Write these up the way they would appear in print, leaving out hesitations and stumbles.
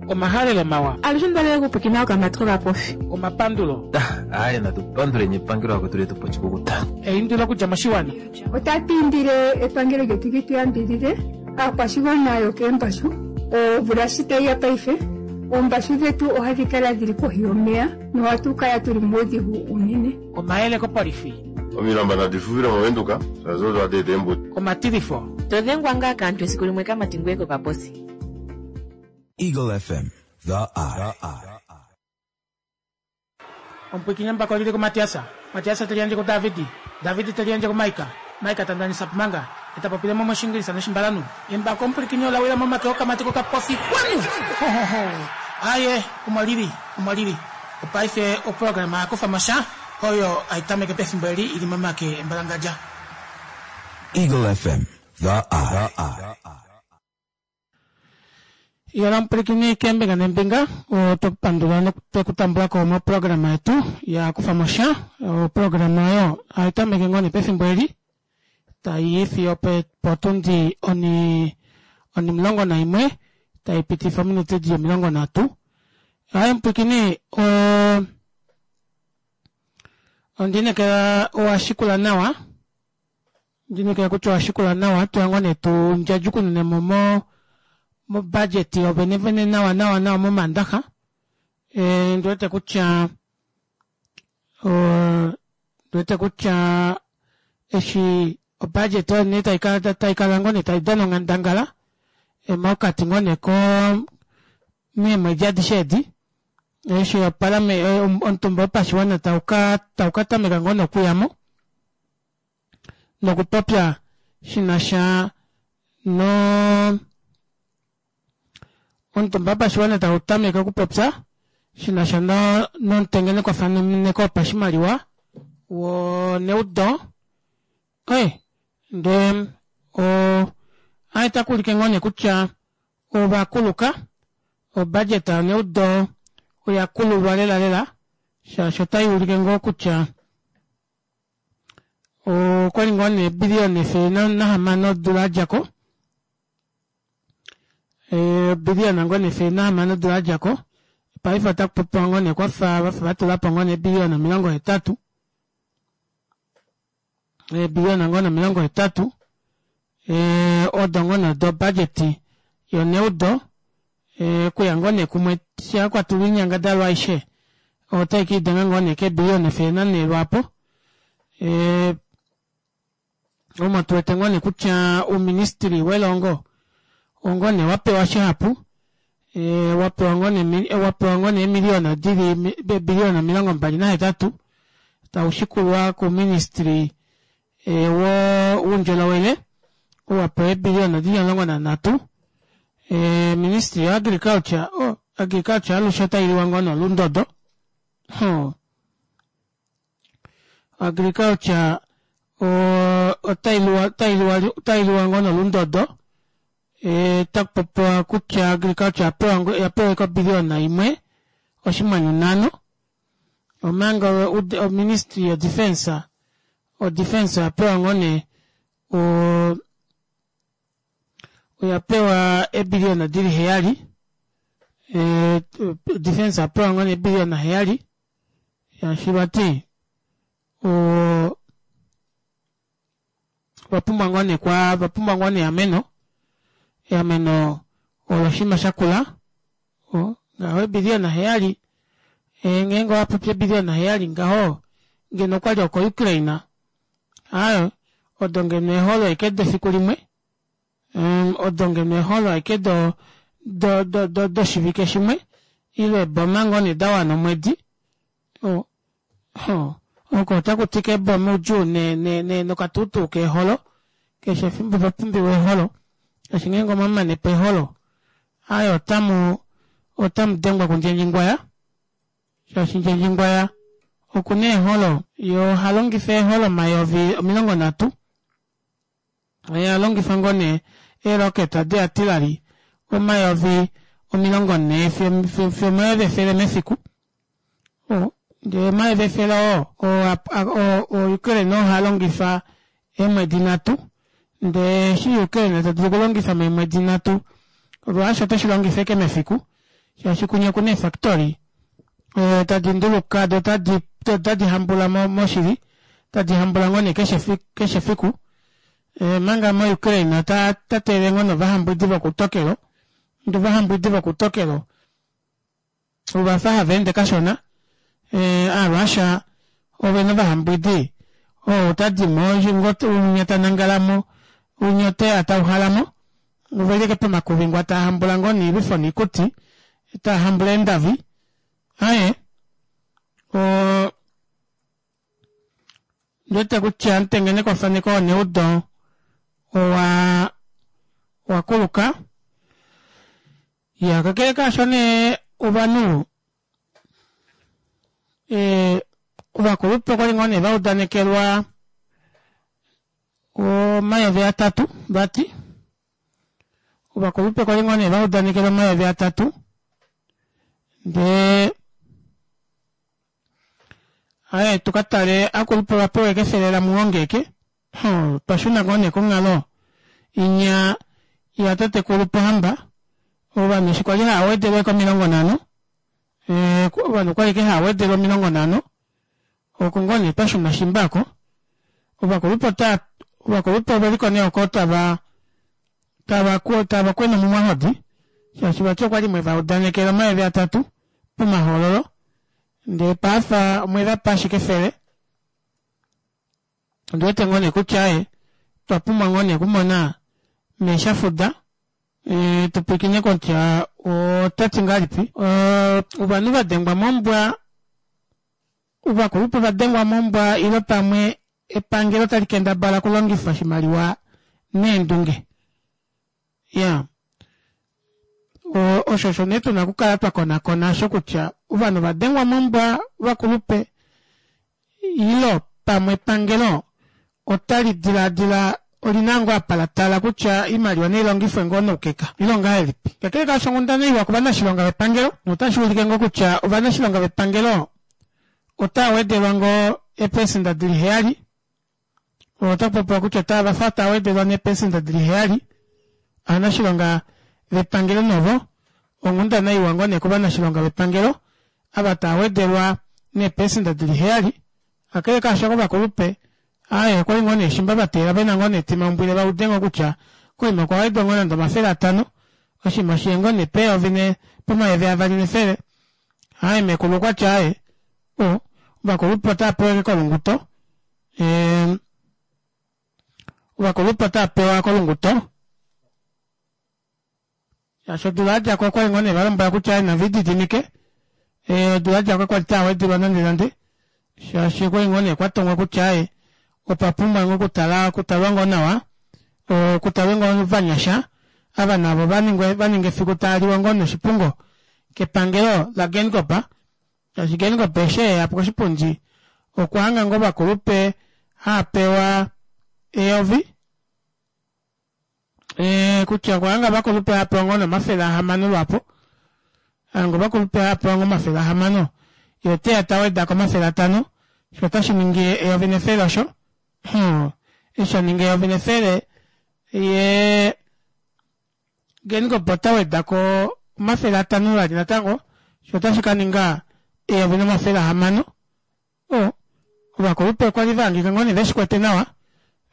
Omahalelo mawa. Alushe ondalele okupwiikina okamati kokapofi. Omapandulo. Aaye natu panduleni epangelo lakwetu letu pa oshikukuta. Eindilo okudja moshiwana. Otatu indile epangelo lyetu li tu yambidhidhe aakwashigwana yokeembashu. Omvula shi tayi ya paife, oombashu dhetu ohadhi kala dhi li kohi yomeya nohatu kala tu li muudhigu uunene. Omayele kopolifi. Omilamba nadi fuvile mOvenduka, shaashi odo hadi eta eembuto. Omatilifo. To dhengwa ngaa kaantu esiku limwe kamati ngoye kokaposi. Eagle FM, the eye. Omupwikinyi embako oli li kuMatias, Matias te liyandje kuDavid, David te liyandje kuMaika, Maika ta ndanisa Pumanga, e ta popile mo mOshiingilisa nOshimbalanhu. Embako omupwilikini ola wila momake okamati kokapofi. Kwanu! Ho, ho, ho! Aye, omo li li, omo li li. Opaife oprograma ya kufa mo sha, oyo hai tameke pefimbo eli i li momake embalangadja. Eagle FM, the eye. Yela omupwilikini keembinga neembinga, oto pandula notwe ku tambula ko moprograma yetu ya kufa mo sha. Oprograma oyo hai tameke ngoo nee pefimbo eli tai i fiyo potundi oni onimulongo naimwe tai pitifa ominute di 30. Hai omupwilikini o ondi inekela owa shikula nawa. Ndinekela kutya owa shikula nawa tuya ngoo nee tu ndjadjukunune mo mo mobudget yovenevene nawa nawa nawa momandaxa e, ndi wete kutya ndi wete kutya eshi obudget oyo nee taikala taikala ngoo nee tai dana onghandangala e, mokati ngoo nee ko meemwedi adishe edi eshi opalame omutumba wopashiwana tau ka tau ka tameka ngoo nokuyamo nokupopya shi na sha no omutumba wopashiwana tau tameke okupopya shi na sha no nomutengenekwafaneko wopashimaliwa woneudo oye ndee o aye takuulike ngoo nee kutya ovakuluka obudget yoneudo oya kululwa lela lela shaashi otai ulike ngoo kutya Okwali ngoo nee ebiliyona 106 odula yadja ko. Ebiliyona ngoo nee 106 odula yadja ko. Paife otaku popiwa ngoo nee kwafa vafa vatula po ngoo nee ebiliyona 80. Eebiliyona ngoo nee 80 odo ngoo nee do budget yoneudo okuya ngoo nee kumwe sha kwatulwa oinyangadalwa aishe otai ka idenga ngoo nee keebiliyona 104 lwaapo. Omo tu wete ngoo nee kutya ouministili welongo ongoo nee wa pewa shihapu, wa pewa ngoo nee wa pewa ngoo nee eemiliyona dili eebiliyona 28 tau shikulwa kouministili woundjolowele ou wa pewa eebiliyona dili 13. Ministry yo agriculture, oh, agriculture alushe otai liwa ngoo nolundodo. Oh. Agriculture otai liwa otai liwa otai liwa ngoo nolundodo. E, taku popiwa kutya agriculture yapewa yapewa obiliyona imwe oshinghwanyu nhano omanga oministry yo defense o defense oya pewa ngoo nee o oya pewa eebiliyona dili heyali e, defense oya pewa ngoo nee eebiliyona heyali shaashi vati o ovapumbwa ngoo nee kwa vapumbwa ngoo nee eameno eameno olo oshinima shakula o ngaho eebiliyona heyali e, ngeenge owa popi eebiliyona heyali ngaho ngeno okwali oko Ukraine Aaye, odo ngeno eeholo ashike defiku limwe, odo ngeno eeholo ashike do, do, do, do, doshivike shimwe, ile eeboma ngoo nee da wana omwedi. O, ho, oko otaku ti keeboma oudjuu ne, ne, ne, nokatuutuu keeholo. Keshe efimbo pa pumbiwa eeholo. Shaashi ngeenge omwa mane po eeholo, aaye otamu, otamu dengwa kundjendjingwaya. Shaashi Ndjendjingwaya oku na eeholo, ye oha longifa eeholo 30 000. Oye a longifa ngoo nee eeloketa deatilali 40 000 fiyo fiyo 100 000 mefiku. O, ndee 100 000 oo, oo, oo Ukraine oo ha longifa eemwedi nhatu, ndee eshi Ukraine ta dulu okulongifa meemwedi nhatu, Russia oteshi longifa ashike mefiku. Shaashi kunya okuna eefactory tadi nduluka do otadi otadi hambula moshili tadi hambula ngoo nee keshe keshe fiku omanga mo Ukraine ota teelele ngoo novahambwidi vokutokelo ndee ovahambwidi vokutokelo ovafa hava ende kashona aaRussia ovena ovahambwidi oo otadimo winya tanangalamo winya oteya tauhalamo oveli ashike pomakuvi ngoo taahambula ngoo noilwifo noikuti taahambula eendavi aaye oo ondiwete kutya omutengenekwafaneko woneudo owa wakuluka Iya, kakele kaasho nee ovanhu eh, ovakulupe okwali ngoo nee vaudanekelwa 3000 vati ovakulupe okwali ngoo nee vaudanekelwa 3000 ndee aye tukatale akulupe vapewe kefele lamuhongeke Otwa shuna ngoo nee konghalo inya yatatekulu Pohamba, ovanhu eshi kwali hava wedelwa ashike 50, ovanhu okwali ashike hava wedelwa 50, oko ngoo nee twa shuna shimba oko. Ovakulupe ota ovakulupe oveliko nee oko tava tava tava kwena omumwahodi shaashi vati okwali mweva udanekela 3000 pomahoololo ndee paife omwevapa ashike efele. Ondi wete ngoo nee kutya aaye otwa pumbwa ngoo nee okumona mee Shafuda tu pwilikine kutya ota ti ngahelipi. Ovanhu va dengwa mombwa, ovakulupe va dengwa mombwa ile pamwe epangelo tali kendabala okulongifa oshimaliwa neendunge. Iyaa osho osho nee tuna okukala twa konakona osho kutya ovanhu ova dengwa mombwa ovakulupe ilo pamwe epangelo otali dilaadila olina ngoo apa la tala kutya oimaliwa nailongifwe ngoo noukeka ile ongahelipi. Kakele kaasho onghundana iwa kovanashilonga vepangelo notashi ulike ngoo kutya ovanashilonga vepangelo otava wedelwa ngoo eepesenda dili heyali Otaku popiwa kutya otava fa tava wedelwa neepesenda dili heyali ovanashilonga vepangelo novo onghundana iwa ngoo nee kovanashilonga vepangelo ava tava wedelwa neepesenda dili heyali kakele kaasho kovakulupe aaye okwali ngoo nee shimba va teelela vena ngoo nee etimaumbwile va ude ngoo kutya koima okwa wedwa ngoo nande 500 oshinima oshiye ngoo nee peyovi ne pomayovi avali nefele aaye meekulu okwati aaye o ovakulupe otava pewa ashike kolunguto Ovakulupe otava pewa kolunguto shaashi odula yadjako okwali ngoo nee valombwela kutya nave lididimike odula yadjako kakwali tava wedelwa nande nande shaashi okwali ngoo nee kwatongwa kutya opa pumbwa ngoo okutala okutalwa ngoo nawa okutalwe ngoo ovanyasha ava navo vaninge efiku tava liwa ngoo noshipungo kepangelo laGeingob Shaashi Geingob eshi eya koshipundi okwa hanga ngoo ovakulupe haa pewa eyovi kutya okwa hanga ovakulupe haa pewa ngoo 600 lwaapo hanga ovakulupe haa pewa ngoo 600 ye oteya ta weda ko 500 sho otashi ningi 1100 osho eshi sha ninga 1100 ye Geingob ota weda ko 500 vali natango, sho otashi ka ninga 1600. O, ovakulupe okwa li va hangika ngoo nee ve shi kwete nawa,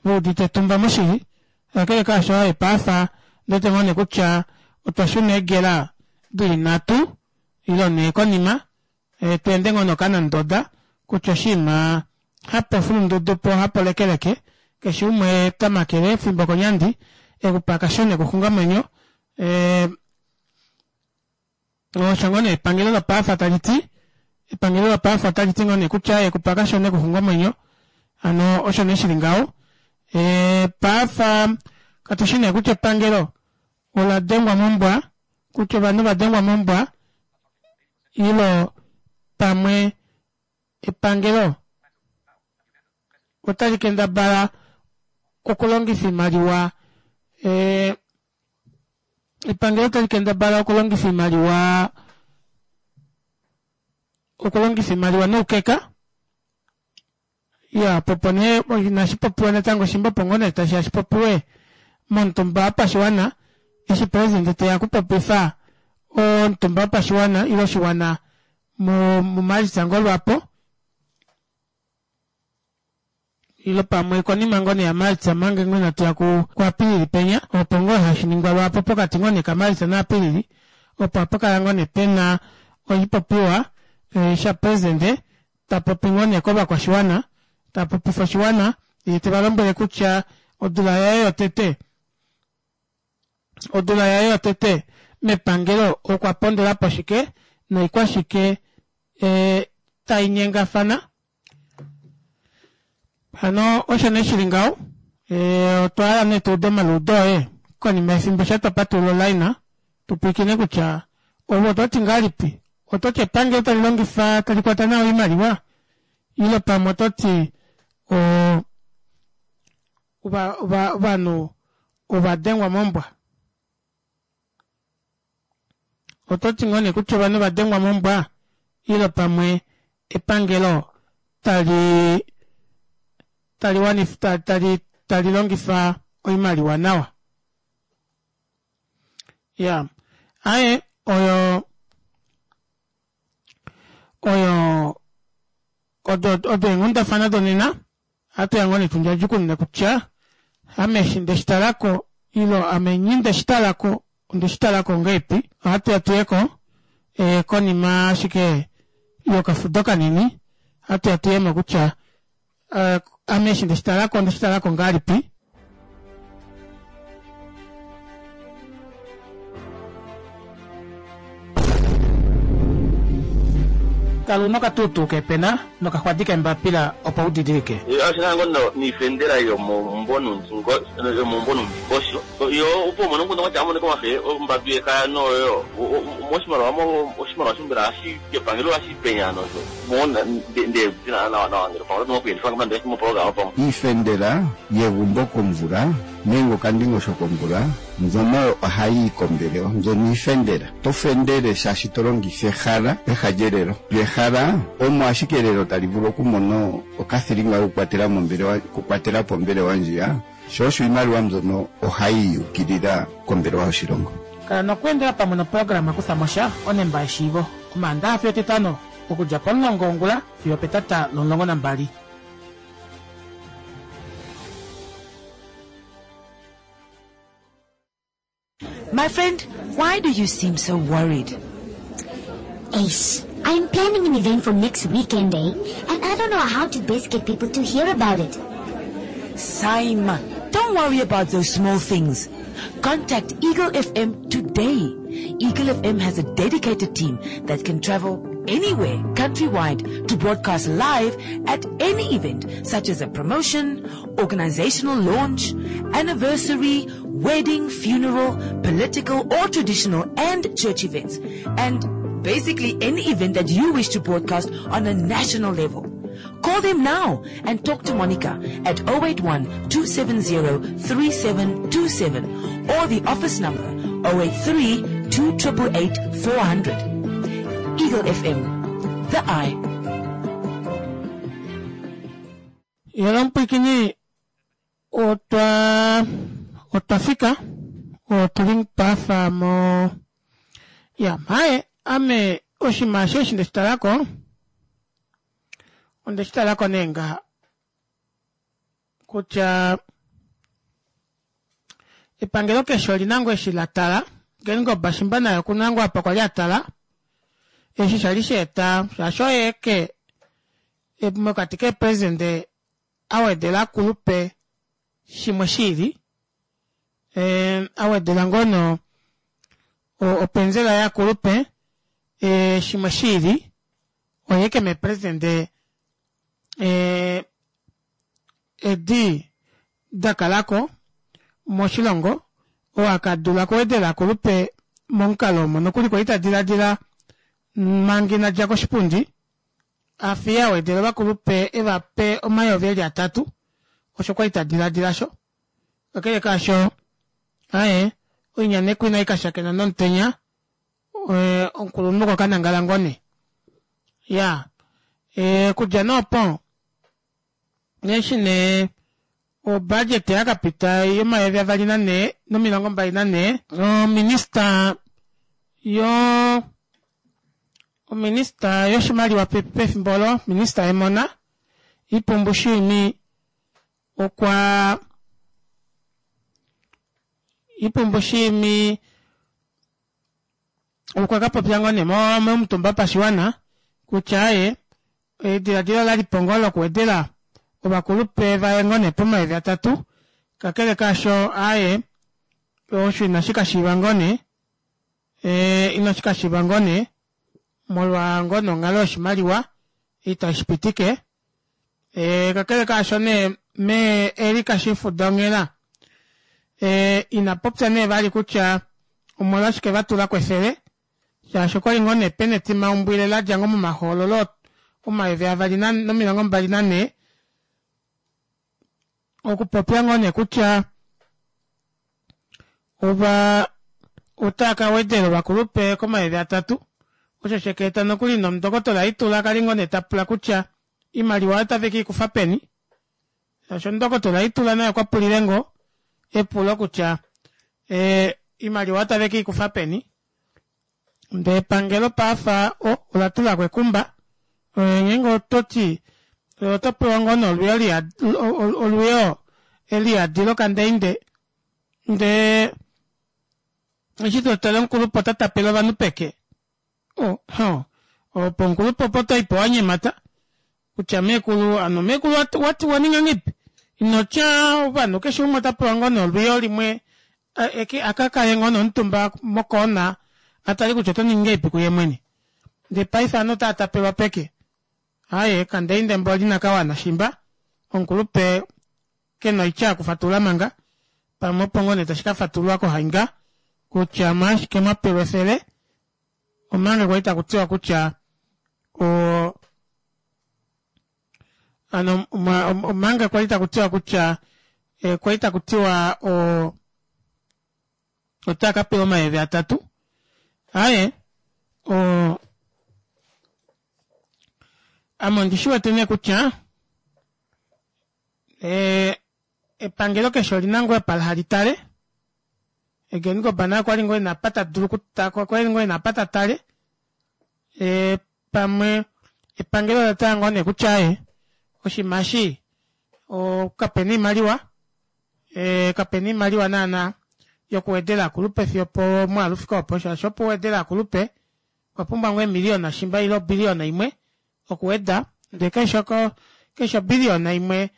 ve udite etumba moshili. Kakele kaasho, aaye paife ondi wete ngoo nee kutya otwa shuna eegela di li nhatu ile nhee konima, tu ende ngoo nokanandoda kutya oshinima hapo fulundudu po hapo lekeleke, keshe umwe ta makele efimbo konyandi, ekupa kashona ekuxunga omwenyo. Osho ngoo nee epangelo lopaife tali ti, epangelo lopaife otali ti ngoo nee kutya ekupa kashona ekuxunga omwenyo, hano osho nee shili ngaho. Paife katu shi nee kutya epangelo ola dengwa mombwa, kutya ovanhu va dengwa mombwa ilo pamwe epangelo otali kendabala okulongifa oimaliwa epangelo otali kendabala okulongifa oimaliwa okulongifa oimaliwa noukeka ya popo nee inashi popiwa natango shimba opo ngoo nee tashi ya shipopiwe momutumba wopashiwana eshi president teya okupopifa. Omutumba wopashiwana ile oshiwana muMalitsa ngoo lwaapo ile pamwe konima ngoo nee yaMalitsa manga ngoo inatu ya kuApilili penya opo ngoo hashi ningwa lwaapo pokati ngoo nee kaMalitsa naApilili opo hapa kala ngoo nee pena oshipopiwa eh, shapresidente ta popi ngoo nee kovakwashiwana ta popifa oshiwana ye te va lombwele kutya odula yaye yotete Odula yaye yotete mepangelo okwa pondola po shike noikwashike e, tai nyengafana. Hano osho nee shili ngaho. E, otwa hala nee tuude omaliudo oye konima yefimbo sha twa patulula olaina tu pwilikine kutya ove oto ti ngahelipi. Oto ti epangelo tali longifa tali kwata nawa oimaliwa ile pamwe oto ti o Ovanhu ova dengwa mombwa. Oto ti ngoo nee kutya ovanhu ova dengwa mombwa ile pamwe epangelo tali tali wanifa tali tali longifa oimaliwa nawa. Ya. Aye oyo oyo odo odo eenghundafana donena. Ohatu ya ngoo nee tundjadjukunune kutya ame eshi nde shi talako ilo ame nyi nde shi talako onde shi talako ngahelipi. Ohatu ya tuyeko e, konima ashike yokafudo kanini ohatu ya tuyemo kutya e, ame eshi nde shi talako onde shi talako ngahelipi. Kala una okatuutuu keepena nokaxwadi keembapila opo u didilike. Osho ngo niifendela yomombonundingosho yo opo umone omukundu ngwatya amone komafe ombambi yekaya noyo moshimaliwa oshimaliwa shombela hashi kepangelo hashi penya nosho mo nde nawa nawa ngele pamwe oto kuyelifa nande moprograma pamwe. Iifendela yegumbo komvula nenge okandingosho komvula mbyono ohayi yi kombelewa. Mbyono iifendela. Oto fendele shaashi to longitha ehala peha lyelelo. Lyo ehala omo ashike elelo tali vulu okumona okathilinga kokukwatela mombelewa, okukwatela po ombelewa ndjiya, sho osho iimaliwa mbyono ohayi yi ukilila kombelewa yoshilongo. Kala nokweendela pamwe noprograma Kutha mo sha, Onemba yeshiivo, Omaandaha fiyo Etitano, okudja pomulongo wongula fiyo opetata lomulongo nambali. My friend, why do you seem so worried? Ace, I'm planning an event for next weekend, eh? And I don't know how to best get people to hear about it. Saima, don't worry about those small things. Contact Eagle FM today. Eagle FM has a dedicated team that can travel anywhere countrywide to broadcast live at any event such as a promotion, organizational launch, anniversary, wedding, funeral, political or traditional and church events. And basically any event that you wish to broadcast on a national level. Call them now and talk to Monica at 081 270 3727 or the office number 083 2888 400. Eagle FM, the eye. Yela omupwiikini otwa otwa fika otu li pafa mo ya maye ame oshinima eshi eshi ndeshi talako ondeshi talako nee ngaha kutya epangelo keshe oli na ngoo eshi la tala Geingob shimba naye oku na ngoo apa kwali a tala eshi shali sha eta shaashi oye ke mokati keepresidente a wedela akulupe shimwe shiili e, a wedela ngoo no openzela yaakulupe e, shimwe shiili oye ke meepresidente e, edi da kalako moshilongo oo aka dula okuwedela akulupe momukalo omo nokuli kwali ta diladila manga ina dja koshipundi a fiye a wedela ovakulupe e va pe omayovi eli atatu osho kwali ta diladila sho. Kakele kaasho, aye oinyanekwa inai ka shakena nomutenya eh, omukulunhu okwa ka nangala ngoo nee. Ya, eh, okudja nee opo eshi nee obudget ya ka pita yomayovi avali nanhee nomilongo mbali nanhee, ominista. Yoo ominista yoshimaliwa pefimbo olo, minista yemona, Ipumbu Shiimi okwa Ipumbu Shiimi okwa ka popya ngoo nee momutumba wopashiwana kutya aaye ediladilo ola li po ngoo lokuwedela ovakulupe vaye ngoo nee pomayovi atatu kakele kaasho aaye osho inashi ka shiiva ngoo nee inashi ka shiiva ngoo nee molwa ngoo nee onghalo yoshimaliwa itashi pitike kakele kaasho nee mee Erika Shifuda onghela ina popya nee vali kutya omolwashike va tula ko efele shaashi okwali ngoo nee pena etimaumbwile ladja ngoo momahoololo omayovi 2024 okupopya ngoo nee kutya ova otava ka wedela ovakulupe komayovi atatu osho sheka eta nokuli nomundokotola Itula kali ngoo nee ta pula kutya oimaliwa otave ke ikufa peni shaashi omundokotola Itula naye okwa pulile ngoo epulo kutya oimaliwa otave ke ikufa peni ndee epangelo paafa ola tulako ekumba ngeenge ototi oto pewa ngoo nee olwiyo olwiyo eliyadi lokandeinde ndee eshi totale omukulupe ota tapele ovanhu peke opo omukulupe opo otoipo wanyemata kutya meekulu hano meekulu wati waninga ngahelipi inotya ovanhu keshe umwe ota pewa ngoo nee olwiyo limwe akakale ngoo nee omutumba mokoona atale kutya oto ningi ngahelipi kuye mwene ndee paife ovanhu otava tapelwa peke aaye kandeinde mboli inakawana shimba omukulupe kena oitya yokufatulula manga pamwe opo ngoo nee tashi kafatululwa kohainga kutya omolwashike mwapelwa efele omanga kwali taku tiwa kutya o ano omanga kwali taku tiwa kutya kwali taku tiwa o otava ka pewa omayovi atatu aaye o ame ondi shi wete nee kutya epangelo keshe olina ngoo epala hali tale Geingob naye okwali ngoo ena apa ta dulu okwali ngoo ena apa ta tale pamwe epangelo ola tala ngoo nee kutya aaye oshinima eshi kapena oimaliwa kapena oimaliwa naana yokuwedela aakulupe fiyo opomwaalu ufike opo shaashi opo uwedele aakulupe okwa pumbwa ngoo eemiliyona shimba ile obiliyona imwe okuweda ndee keshe keshe obiliyona imwe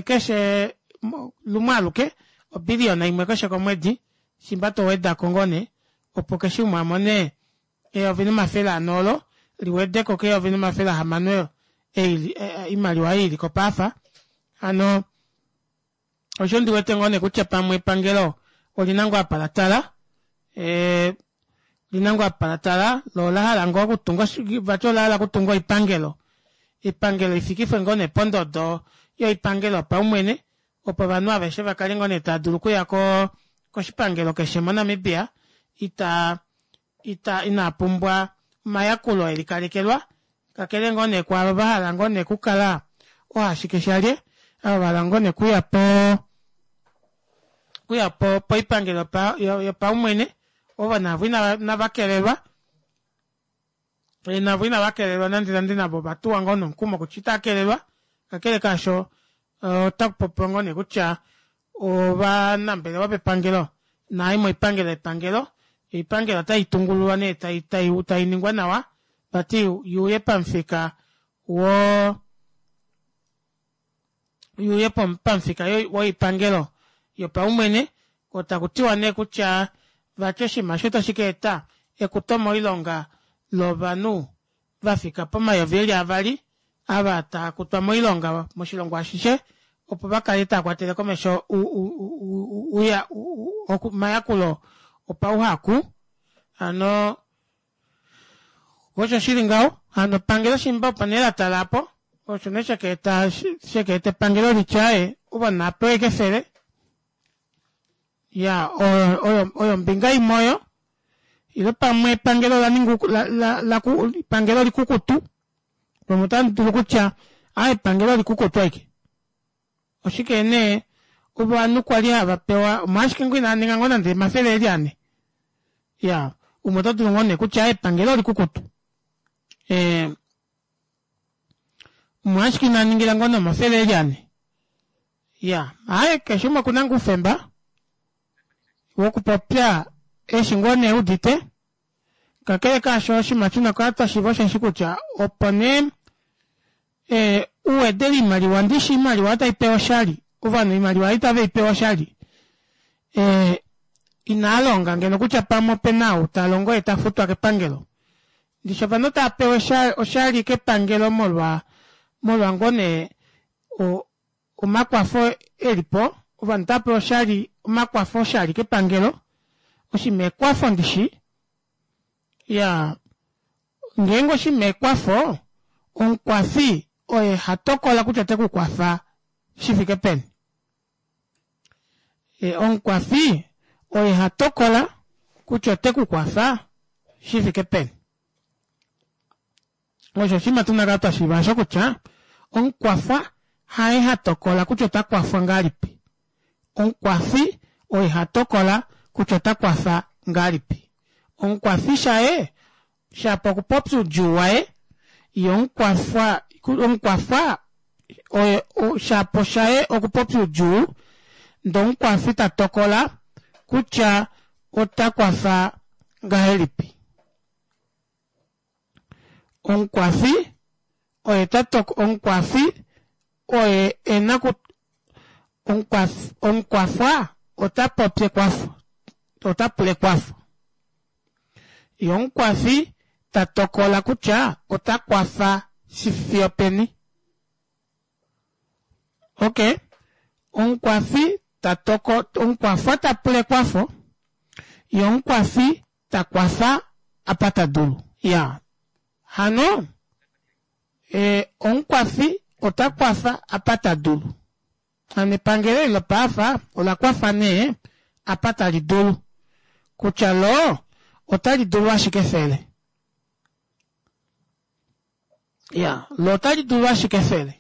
keshe lumwe aluke obiliyona imwe keshe komwedi shimba towedako ngoo nee opo keshe umwe amone eyovi nomafele ane olo liwedeko keyovi nomafele ahamano oimaliwa ei iliko paafa hano osho ndiwete ngoo nee kutya pamwe epangelo olina ngoo apa latala olina ngoo apa latala loo olahala ngoo okutunga vati olahala okutunga oipangelo oipangelo ifikifwe ngoo nee pondodo yoipangelo yopaumwene opo ovanhu aveshe vakale ngoo nee tava dulu okuya koshipangelo keshe moNamibia ita ita inaa pumbwa omayakulo elikalekelwa kakele ngoo nee kwaavo vahala ngoo nee okukala ohashike shalye ava vahala ngoo nee okuya po okuya po poipangelo yopaumwene ovo navo inava kelelwa navo inava kelelwa nande nande navo ovatuwa ngoo nomukumo kutya itava kelelwa kakele kaasho otaku popiwa ngoo nee kutya ovanambelewa vepangelo naai moipangelo yepangelo oipangelo otai tungululwa nee tai ningwa nawa vati yuuye pamufika wo yuuye pamufika woipangelo yopaumwene otaku tiwa nee kutya vati oshinima osho otashi ka eta ekuto moilonga lovanhu vafika pomayovi eli avali ava taa kutwa moilonga moshilongo ashishe opo vakale tava kwatele komesho omayakulo opauhaku hano osho shili ngaho hano epangelo shimba opo nee latala apo osho nee shakaeta shakaeta epangelo litye aaye ovanhu nava kefele ya oyo oyo ombinga imwe oyo ile pamwe epangelo ola ninga epangelo likukutu pamwe otamu dulu kutya aa epangelo likukutu aike oshike nee ovanhu kwali hava pewa omolwashike ngoo inaa ninga ngoo nande omafele eli ane ya. Umwe oto dulu ngoo nee kutya epangelo olikukutu. Eh, umwe ashike ina ningila ngoo nomafele eli ane. Ya, aye keshe umwe okuna ngoo oufemba wokupopya eshi ngoo nee udite. Kakele kaasho oshinima tuna okukala twa shiiva osheshi kutya opo nee e, u wedele oimaliwa ndishi oimaliwa otai pewa oshali ovanhu oimaliwa itave i pewa oshali e, inaa longa ngeno kutya pamwe ope na ou ta longo ye ta futwa kepangelo ndishi ovanhu otava pewa oshali kepangelo molwa molwa ngoo nee omakwafo eli po ovanhu otava pewa oshali omakwafo oshali kepangelo oshinima ekwafo ndishi ya ngeenge oshinima ekwafo omukwafi oye ha tokola kutya ote ku kwafa shi fike peni e, omukwafi oye ha tokola kutya ote ku kwafa shi fike peni Osho oshinima tuna kala twa shiiva osho kutya omukwafwa haye ha tokola kutya ota kwafwa ngahelipi. Omukwafi oye ha tokola kutya ota kwafa ngahelipi. Omukwafi shaye shapo okupopya oudjuu waye, ye omukwafwa omukwafwa oye shapo shaye okupopya oudjuu ndee omukwafi ta tokola kutya ota kwafa ngahelipi. Omukwafi oye ta toko omukwafi oye e na ku omukwafwa ota popi ekwafo ota pula ekwafo ye omukwafi ta tokola kutya ota kwafa shi fiyo peni ok omukwafi ta toko omukwafwa ta pula ekwafo ye omukwafi ta kwafa apa ta dulu. Ya. Hano, e, omukwafi ota kwafa apa ta dulu. Hano epangelo eli lopaafa ola kwafa nee apa tali dulu. Kutya lo otali dulu ashike efele. Ya, lo otali dulu ashike efele.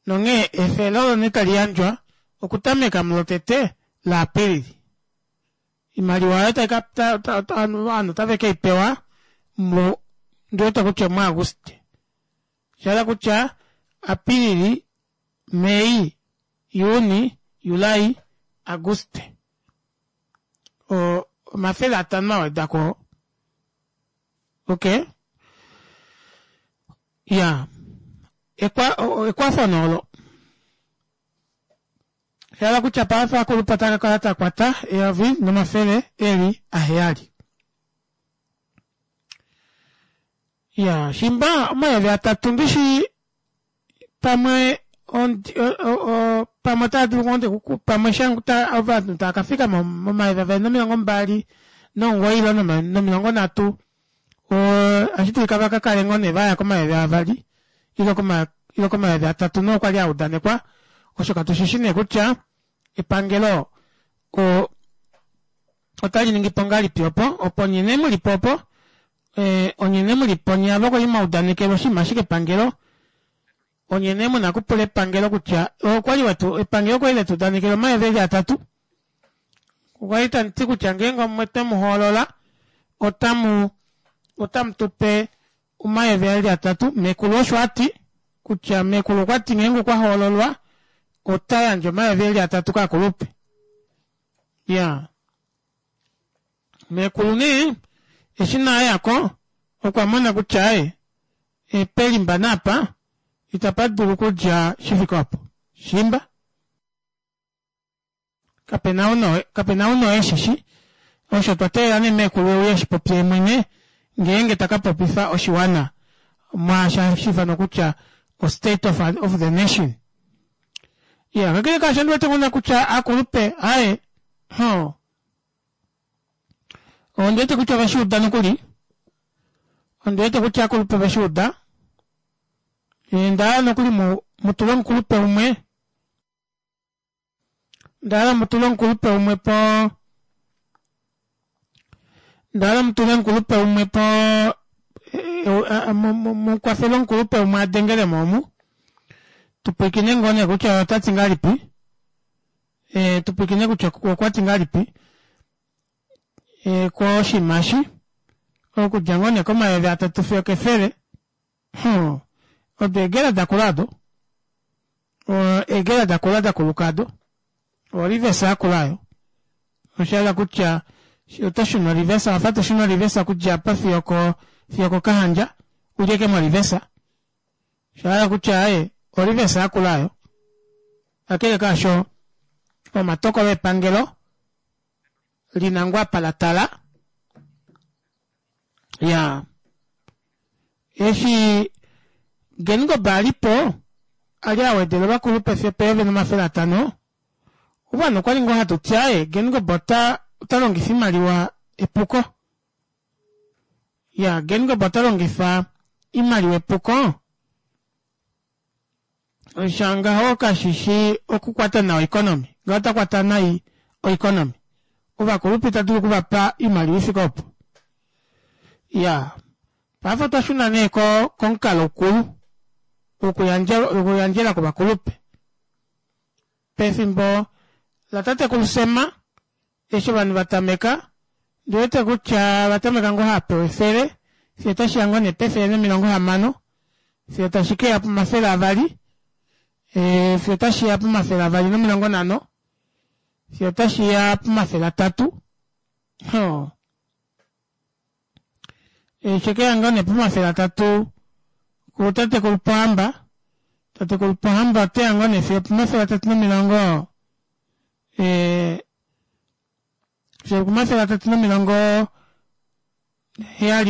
Nonghee efele olo nee tali yandjwa okutameka mulotete laApilili. Oimaliwa oyo tai ka ovanhu otave ke i pewa mu ndi wete kutya omuAguste. Sha hala kutya Apilili, Mei, Juni, Julai, Aguste. 500 a weda ko. Okay. Ya. Ekwa, ekwafo nee olo. Sha kutya paife akulupa ta ka kala ta kwata 1700. Ya, shimba 3000 ndishi pamwe pamwe otava dulu ngoo nde pamwe ovanhu tava ka fika mo-2029 ile nomilongo nhatu ohashi dulika va ka kale ngoo nee vaya ko-2000 ile ile ko-3000 noo kwali a udanekwa osho katu shishi nee kutya epangelo otali ningi po ngahelipi opo opo nye nee muli po opo eh, onye nee muli po nye ava kwali mwa udanekelwa oshinima ashike epangelo onye nee muna okupula epangelo kutya okwali wetu epangelo okwali letu udanekela 3000 okwali tamu ti kutya ngeenge omwe twe mu hoolola otamu otamu tu pe 3000 mekulu osho a ti kutya mekulu okwa ti ngeenge okwa hoololwa ota yandje 3000 kaakulupe ya Meekulu nee eshi na yako okwa mona kutya aye pelimba naapa itapa dulu okudja shi fike opo. Shimba kapena ou kapena ou noe shishi osho twa teelela nee meekulu euye eshi popye yemwene ngeenge ta ka popifa oshiwana mwaashi hashi ifanwa kutya o state of, of the nation. Ya kakele kaasho ndi wete ngona kutya akulupe aye ho Ondi wete kutya ove shi uda nokuli. Ondi wete kutya akulupe ove shi uda. Nda hala nokuli mu, mu tule omukulupe umwe. Nda hala mu tule omukulupe umwe po nda hala mu tule omukulupe umwe po mu kwafele omukulupe umwe a dengele mo omu. Tu pwilikine ngoo nee kutya ota ti ngahelipi. Eh, tu pwilikine kutya okwa ti ngahelipi. E, koshinima eshi okudja ngoo nee komayovi atatu fiyo kefele hmm. Odo eegela dakula ado eegela dakula dakuluka ado orivesa yakula ayo osha kutya oto shuna orivesa wafa to shuna orivesa okudja apa fiyo ko fiyo kokahandja ulyeke morivesa osha hala kutya aye orivesa yakula ayo kakele kaasho omatokolo epangelo lina ngoo apa la tala ya eshi Geingob a li po a li a wedela ovakulupe fiyo peyovi 500 ovanhu okwa li ngoo hatu ti aye Geingob ota ota longifa imaliwa epuko ya Geingob ota longifa imaliwa epuko Osha ngaho kashi shi okukwata nawa oeconomy. Ngaho ota kwata nai oeconomy. Ovakulupe ita dulu okuvapa oimaliwa ifike opo. Ya. Paife otwa shuna nee ko komukalo ukulu wokuyandja wokuyandjela kovakulupe. Pefimbo latatekulu Sema Eshi ovanhu va tameka, ndi wete kutya va tameka ngoo hava pewa efele, fiyo otashi ya ngoo nee pefele nomilongo hamano, fiyo tashi ke ya pomafele avali, e, fiyo otashi ya pomafele avali nomilongo nhano, fiyo otashi ya pomafele atatu. Ho. Eshi ke ya ngoo nee pomafele atatu kutatekulu Pohamba, tatekulu Pohamba ote ya ngoo nee fiyo pomafele atatu nomilongo eh, fiyo 370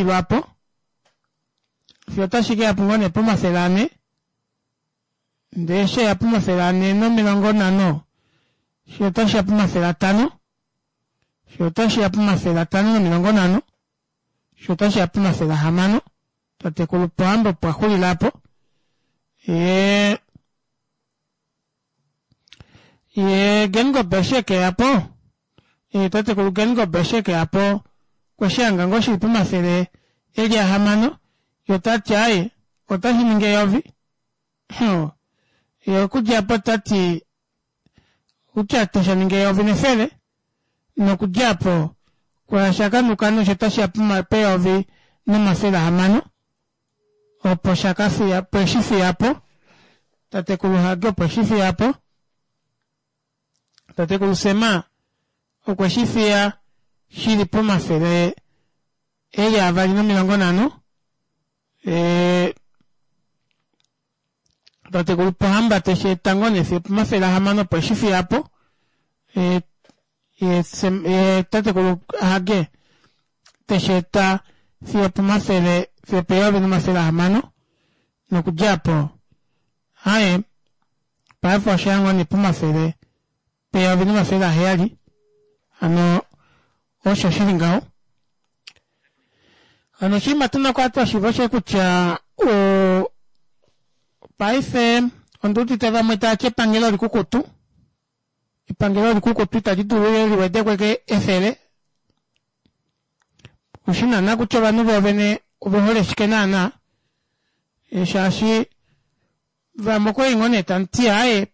lwaapo fiyo otashi ke ya po ngoo nee pomafele ane ndee eshi ya pomafele ane nomilongo nhano fiyo otashi ya pomafele atano fiyo otashi ya pomafele atano nomilongo nhano fiyo otashi ya pomafele ahamano tatekulu Pohamba opo a xulila apo yee Ye Geingob eshi e ke ya po, ye tatekulu Geingob eshi e ke ya po, okwe shi hanga ngoo shili pomafele e li ahamano, ye ota ti aaye, otashi ningi eyovi. Huh. Ye okudja po ta ti kutya tasha ningi eyovi nefele, nokudja po kwa shakanuka nosho tashi ya peyovi nomafele ahamano. opo sha ka fiya po eshi fiya po tatekulu Hage opo eshi fiya po tatekulu Sema okwe shi fiya shili pomafele eli avali nomilongo nhano e, tatekulu Pohamba teshi eta ngoo nee fiyo pomafele ahamano opo eshi fiya po e, ye, ye tatekulu Hage teshi eta fiyo pomafele fiyo peyovi nomafele ahamano nokudja po haye paife osha ngoo nee pomafele peyovi nomafele aheyali hano osho shili ngaho hano oshinima tuna okukala twa shiiva oshe kutya paife ondi udite vamwe tava ti epangelo olikukutu Epangelo likukutu itali dulu li wedekwe efele. Oshi naana kutya ovanhu voovene ove hole shike naana e, shaashi vamwe okwali ngoo nee tamu ti aaye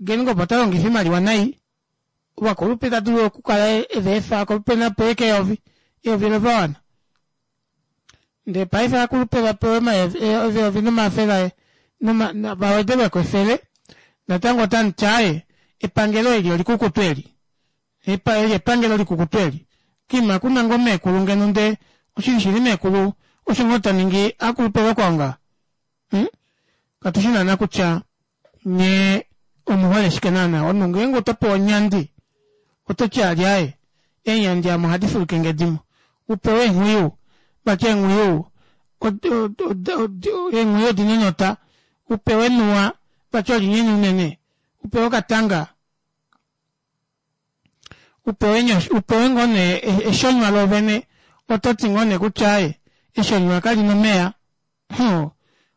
Geingob ota longifa imaliwa nai ovakulupe ita dulu okukala eve efa akulupe napewe keyovi eyovi lova wana ndee paife akulupe vapewe eyovi nomafele vawedelweko efele natango otamuti aaye epangelo eli olikukutu eli eli epangelo likukutu eli kiima kuna ngoo meekulu ngeno nde oshili shili meekulu osho ngoo ta ningi akulupe vakwao nga hmm? katu shi naana kutya nye omuhole shike naana omunhu ngeenge oto pewa onyandi oto ti alyaye eenyandi amo ohadi fuluke ngedimo u pewe eenghwiyu vati eenghwiyu eenghwiyu odina enota u pewe enuwa vati olinyenye unene u pewe okatanga u pewe u pewe ngoo nee eshonywa loovene oto ti ngoo nee kutya aye eshonywa kali na omeya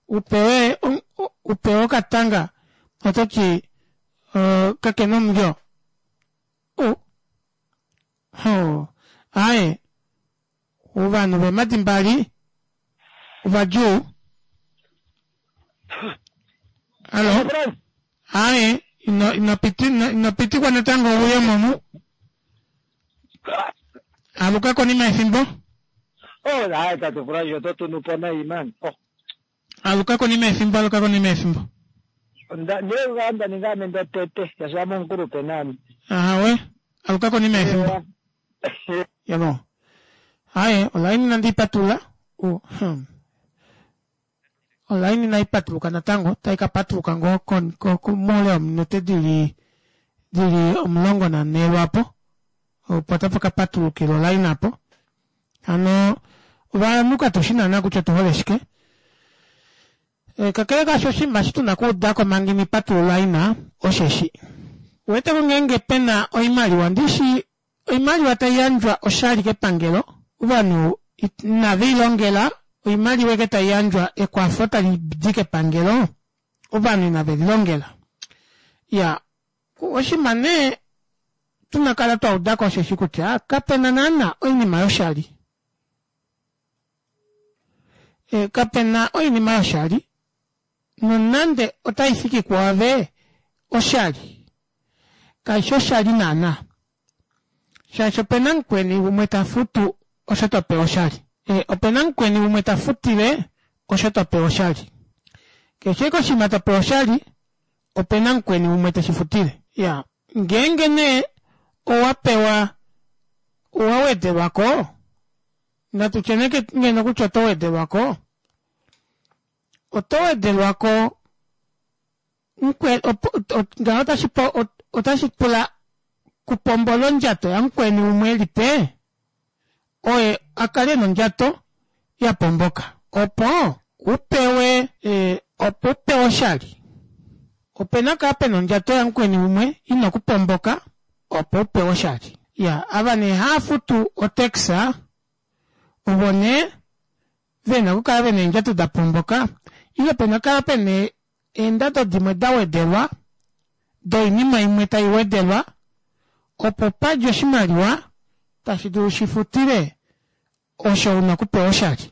u pewe u pewe okatanga oto ti kakena omulyo aaye ovanhu veemadi mbali ovadjuu halo aaye ino ino piti ino pitikwa natango uye momu. Aluka konima yefimbo. Oh, hayi tate Furaji oto tunu po nayi man. Oh. Aluka konima yefimbo, aluka konima yefimbo. Onda ne nda ninga ame ndotete, shaashi ame omukulupe naame. Ahawe, aluka konima yefimbo. Yabo. Haye, olaini nandi ipatulula. Oh, Olaini inai patuluka natango, otai ka patuluka ngoo moule wominute dili dili 14 lwaapo, opo tapa ka patulukila olaini apo. Hano ovanhu katu shi naana kutya otu hole shike. E, kakele kaasho oshinima eshi tu na okuuda ko manga ina patulula olaina osheshi. Uwete ko ngeenge pe na oimaliwa, ndishi Oimaliwa tai yandjwa oshali kepangelo, ovanhu inave i longela, oimaliwa eke tai yandjwa ekwafo tali di kepangelo, ovanhu inave li longela. Ya, oshinima nee tuna kala twa uda ko osheshi kutya kape na naana oinima yoshali. E, kape na oinima yoshali, nonande otai fiki kuave oshali, kai shi oshali naanaa, shaashi ope na mukweni umwe ta futu osho to pewa oshali. E, ope na mukweni umwe ta futile osho to pewa oshali. Keshe eke oshinima to pewa oshali, ope na mukweni umwe te shi futile. Ya, ngeenge nee owa pewa, owa wedelwa ko, natu tye nee ngeno kutya oto wedelwa ko, oto wedelwa ko ngaho otashi otashi pula kupombola ondjato yamukweni umwe e li pe oye a kale nondjato ya pomboka opo u pewe e, opo u pewe oshali ope na kaa pena ondjato yamukweni umwe ina okupomboka opo u pewe oshali ya ava nee haa futu otaxa ovo nee ve na okukala ve na eendjato da pomboka ile pe na kala pe na eendado dimwe da wedelwa doinima imwe tai wedelwa opo pa dje oshimaliwa tashi dulu shi futile osho u na okupewa oshali.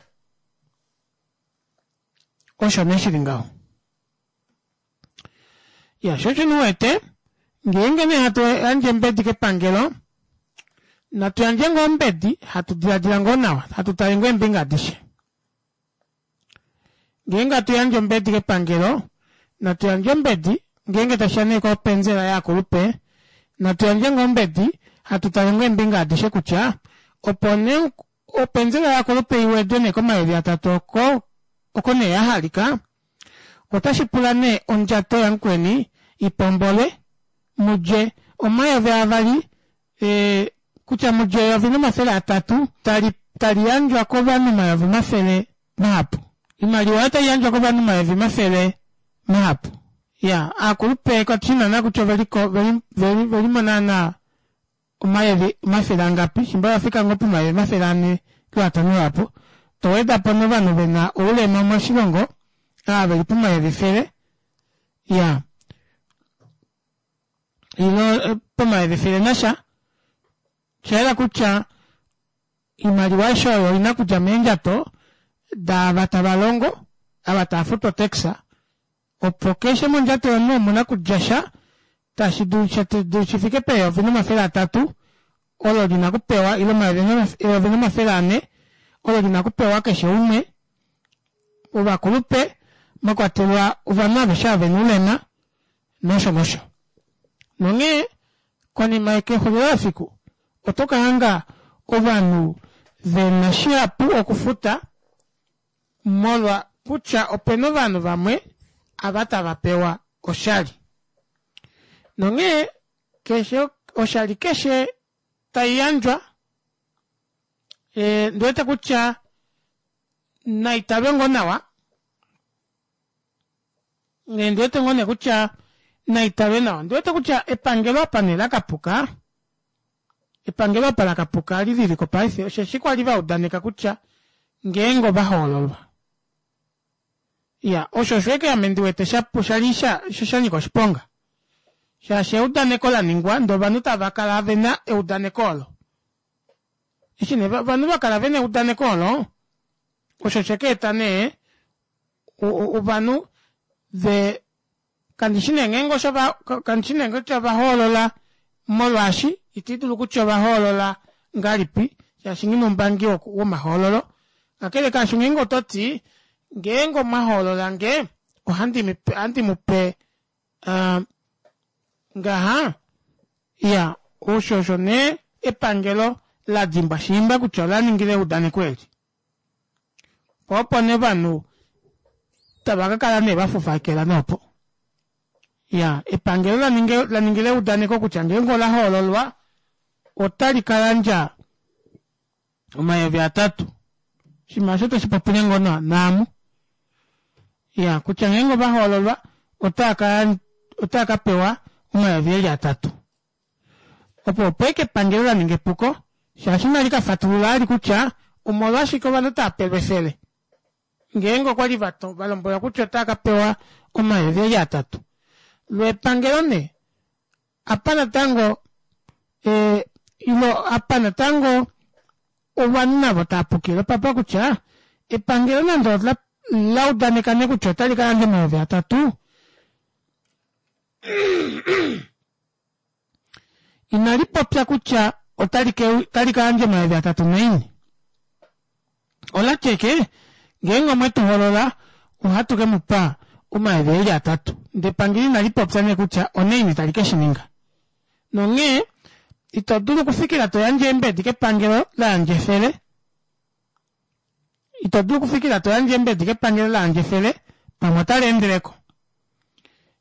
Osho nee shi li ngaho. Ya, sho osho wete ngeenge nee hatu yandje ombedi kepangelo natu yandje ngoo ombedi hatu diladila ngoo nawa hatu tale ngoo eembinga adishe ngeenge hatu yandje ombedi kepangelo natu yandje ombedi ngeenge tashiya nee kopenzela yaakulupe natu yandje ngoo ombedi hatu tale ngoo eembinga adishe kutya opo nee openzela yaakulupe iwedwe nee komayovi atatu oko oko nee ya halika Otashi pula nee ondjato yamukweni i pombolwe, mu dje 2000, e, kutya mu dje 1300 tali, tali yandjwa kovanhu 100 mahapu. Oimaliwa oyo tai yandjwa kovanhu 100 mahapu. Ya, aakulupe katu shi naana kutya ove li ko, ve li, ve li, ve li mo naana omayovi omafele angapi, shimba va fika ngoo pomayovi 400 lwoatano lwaapo, to weda po novanhu ve na oulema moshilongo, ava ve li pomayovi efele, ya, ilo eh, pomayovi efele nasha, osha yela kutya oimaliwa aishe oyo oi na okudja meendjato daava tava longo, ava tava futu otaxa, opo keshe mondjato yomunhu omu na okudja sha tashi dulu shi fike peyovi nomafele atatu olo li na okupewa ile omayovi nomafele ane olo li na okupewa keshe umwe ovakulupe mwa kwatelwa ovanhu aveshe ava vena oulema nosho nosho. Nonghee konima kexulilo lefiku oto ka hanga ovanhu ve na shihapu okufuta molwa kutya opena ovanhu vamwe ava tava pewa oshali. Nonghee keshe oshali keshe tai yandjwa e, ndi wete kutya nai talwe ngoo nawa ndi wete ngoo nee kutya nai talwe nawa. Ndi wete kutya epangelo apa nee la kapuka, epangelo apa la kapuka li li ko paife osheshi kwa li va udaneka kutya ngeenge ova hoololwa. Ya, osho osho eke ame ndi wete sha sha li sha sha nyika oshiponga. Shaashi eudaneko la ningwa ndee ovanhu tava kala ve na eudaneko olo. Eshi nee ovanhu va kala ve na eudaneko olo, osho she ka eta nee ovanhu ve kandi shi nee ngeenge osho va kandi shi nee kutya ova hoolola molwaashi iti dulu kutya ova hoolola ngahelipi. Shaashi nghi na oumbangi womahoololo. Kakele kaasho ngeenge oto ti, ngeenge omwa hoolola nge, ohandi mu pe, ohandi mu pe uh, ngaha, iya, osho osho nee epangelo la dimbwa shiimba kutya ola ningile eudaneko eli. Po opo nee ovanhu tava ka kala nee va fufakela noopo. Ya, epangelo la ninga, la ningile eudaneko kutya ngeenge ola hoololwa otali ka yandja omayovi atatu. Oshinima osho toshi popile ngoo naamu. Ya, kutya ngeenge ova hoololwa otava ka, otava ka pewa omayovi eli atatu. Opo opo eke epangelo la ninga epuko, shaashi inali ka fatulula ali kutya omolwashike ovanhu tava pelwa efele. Ngeenge okwa li va lombwelwa kutya otava ka pewa omayovi eli atatu. Lo epangelo nee, apa natango e, ilo apa natango ovanhu navo tava pukile opapa kutya epangelo nande ola la udaneka nee kutya otali ka yandja omayovi atatu, inali popya kutya otali ka yandja omayovi atatu naini. Ola ti eke, ngeenge omwe tu hoolola, ohatu ke mu pa omayovi eli atatu. Ndele epangelo inali popya nee kutya onaini tali ke shi ninga. Nonghee, ito dulu okufikila to yandje eembedi kepangelo la yandja efele. Ito dulu okufikila to yandje eembedi kepangelo la yandja efele, pamwe otali endele ko.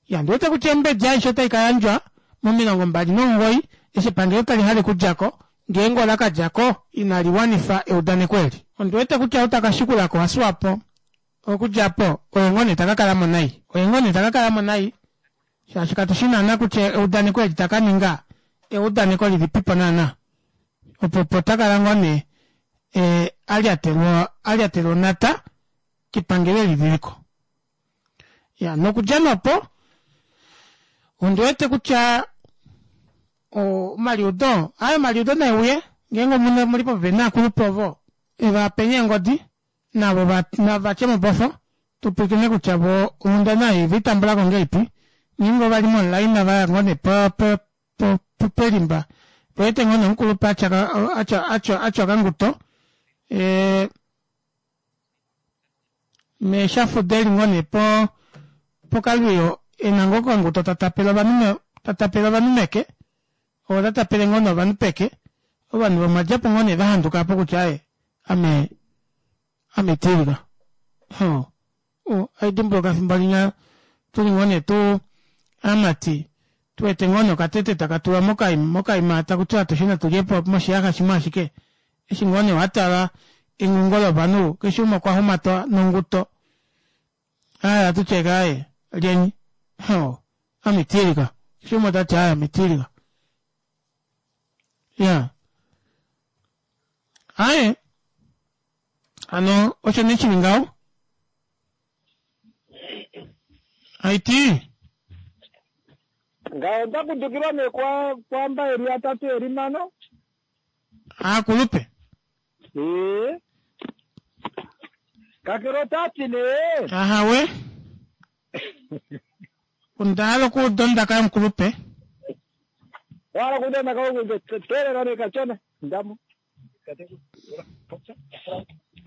Ya, ondi wete kutya eembedi aishe otai ka yandjwa mo29 eshi epangelo tali hale okudja ko, ngeenge ola ka dja ko inali wanifa eudaneko eli. Ondi wete kutya ou taka shikula ko waSwapo okudja po oye ngoo nee ta ka kala mo nai. Oye ngoo nee ta ka kala mo nai shaashi katu shi naana kutya eudaneko eli ta ka ninga eudaneko lilipipo naana. Opo opo ta kala ngoo nee e, a lyatelwa a lyatelwa onhata kepangelo eli lili ko. Ya, nokudja nopo ondi wete kutya omaliudo aye omaliudo nae uye ngeenge omune muli popepi naakulupe ovo eva penye eengodi navo nava tye mobofo tu pwilikine kutya vo onghundana ei ove tambula ko ngahelipi ngeenge ova li monlaina va ya ngoo nee pelimba vewete ngoo nee omukulupe atya okanguto e, meeshafuda eli ngoo nee po pokalwiyo e na ngoo okanguto ta tapele ovanhu ta tapele ovanhu meke oo ta tapele ngoo nee ovanhu peke ovanhu vomadjapo ngoo nee va handuka apo kutya aye ame ame tilika ho Ohai dimbuluka efimbo linya tuli ngoo nee tu aamati tu wete ngoo nee okatete taka tulwa mokaima taku tiwa atushe natu lye po moshiyaxa shimwe ashike. Eshi ngoo nee wa tala engungo lovanhu keshe umwe okwa humatwa nonguto aaye ohatu ti eke aaye lyeni hoo ame tilika keshe umwe ota ti aaye ame tilika ya aaye Hano osho nee shili ngaho. Haiti. Ngaho nda kudukilwa nee kwa kwamba eli atatu eli mano. Aakulupe. Ee. Kakele ota ti nee. Ahawe. Onda hala okuuda ondaka yomukulupe. Wa hala okuuda ondaka yomukulupe? Teelela nee kashona. Ndamo.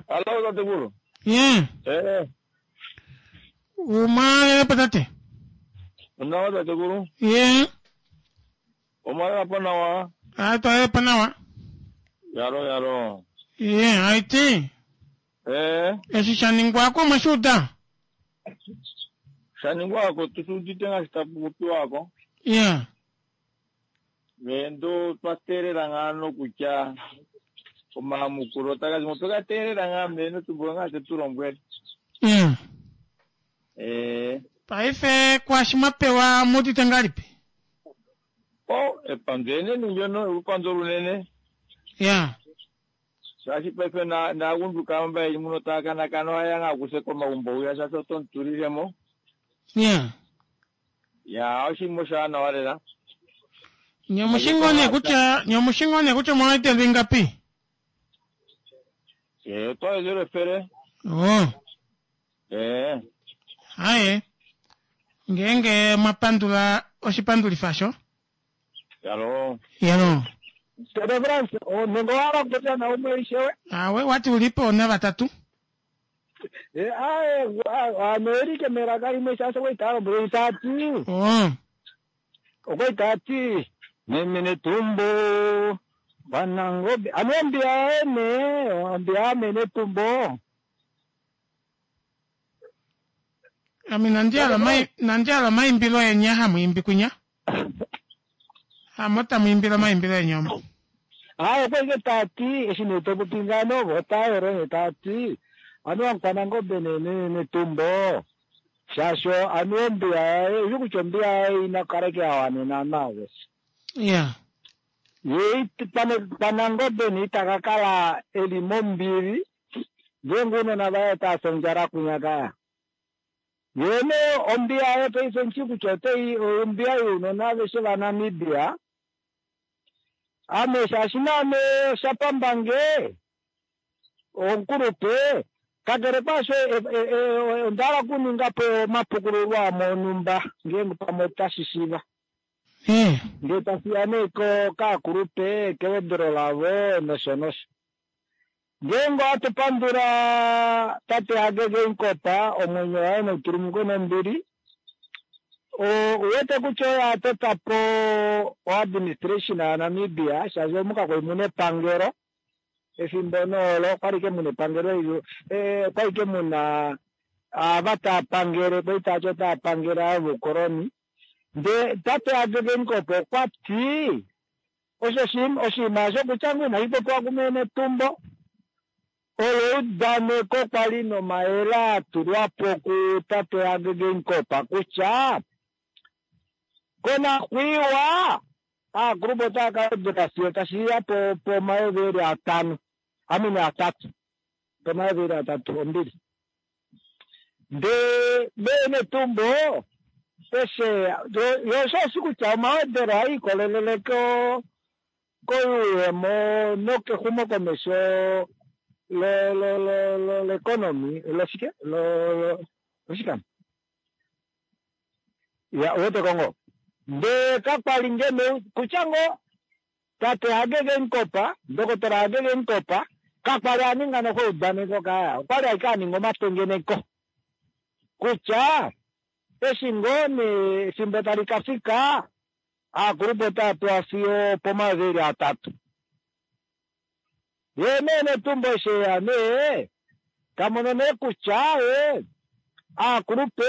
Hallo tatekulu. Ye. Eh. Umwalelepo tate. Onawa tatekulu. Ye. Omwalelapo nawa. Ah, twalelepo nawa. Yalo yalo. Ye, aiti. Eh. Eshi sha ningwa ko mwe shuuda. Sha ningwa ko tushuudite ngaashi tapu popiwa ko. Ye. Ndo twa teelela ngaa nokutya omayamukulo otaga zi mo. Otwe ga teelela ngaa mee notumbo ngaa te tu lombwele. Mm. Ee. Paife kwaashi mwa pewa omu udite ngahelipi? O, epandju enene ndyono, olupandu olunene. Ya. Shaashi paife na naagundjuka mba yeli muno taya kanakana ohaya ya ngaa kuse komagumbo hwiya shaashi oto mu tulile mo. Ya. Ya, oshinima oshaanawa lela. Nye omushi ngoo nee kutya, nye omushi ngoo nee kutya omwa wedelwa ingapi? Ee, otwa wedelwa efele. Oh. Ee. Haye. Ngeenge mwa pandula oshipandulifa sho. Yalo. Yalo. Tete France, nenge owa hala okupopya naumwe ishewe? Awe, wati ulipo navatatu. Ae, ano elike melaka limwe shaashi okwali taa lombwele taa ti. Okwali taa ti meme Netumbo Wanangobe. Ano ombiya yaye nee, ombiya yame Netumbo. Ame inandi hala omai- inandi hala omaimbilo eni a hamu imbi kwinya. Hamo tamu imbile omaimbilo eni omo. Aye, okwali ke taa ti eshi nee to popi ngaano vo otaa yolo nee taa ti anuwa Mukwanangobe nee Netumbo shaashi anuwa ombiya yaye ushi kutya ombiya yaye ina kala ike ya wanena nawa aveshe. Ya. Ye Kwanangobe nee ita ka kala eli mombili ngeenge ounona vaye otava fi ondjala kwinya kaya. Ye nee ombiya yaye paife omushi kutya otai ombiya younona aveshe vaNamibia. Ame shaashi naame osha pamba nge omukulupe, kakele kwaasho onda hala okuninga po omapukululo amwe onhumba ngeenge pamwe otashi shiiva. Ngee tashi ya nee kaakulupe, kewedelo lavo nosho nosho. Ngeenge ohatu pandula tate Hage Geingob, omwenyo waye nau tulumukwe nombili, ou wete kutya oye a tota po oadministration yaNamibia, shaashi omu kakwali mu na epangelo efimbo nee olo, okwali ike mu na epangelo, okwali ike mu na ava tava pangele, kwali tava ti otava pangele ava voukoloni. Ndee tate Hage Geingob okwa ti Osho oshinima osho kutya ngoo inashi popiwa kumee Netumbo, olo eudaneko kwa li nomayele a tulwa po kutate Hage Geingob kutya konakuiwa aakulupe otava ka wedela fiyo tashi ya pomayovi eli atano, amene atatu, pomayovi eli atatu ombili. Ndee mee Netumbo eshe yo osho oshi kutya omawedelo ohaa ikolelele ko koyuuyemo nokexumokomesho lo lo lo lo leconomy loshike lo loshikam ya uwete ko ngoo ndee kakwali ngeno kutya ngoo Tate Hage Geingob, Ndokotola Hage Geingob, kakwa li a ninga noho eudaneko kaya, okwa li ashike a ninga omatengeneko kutya eshi ngoo nee efimbo tali ka fika, aakulupe otava pewa fiyo opomayovi eli atatu. Ye nee Netumbo eshi eya nee, ta mono nee kutya ye aakulupe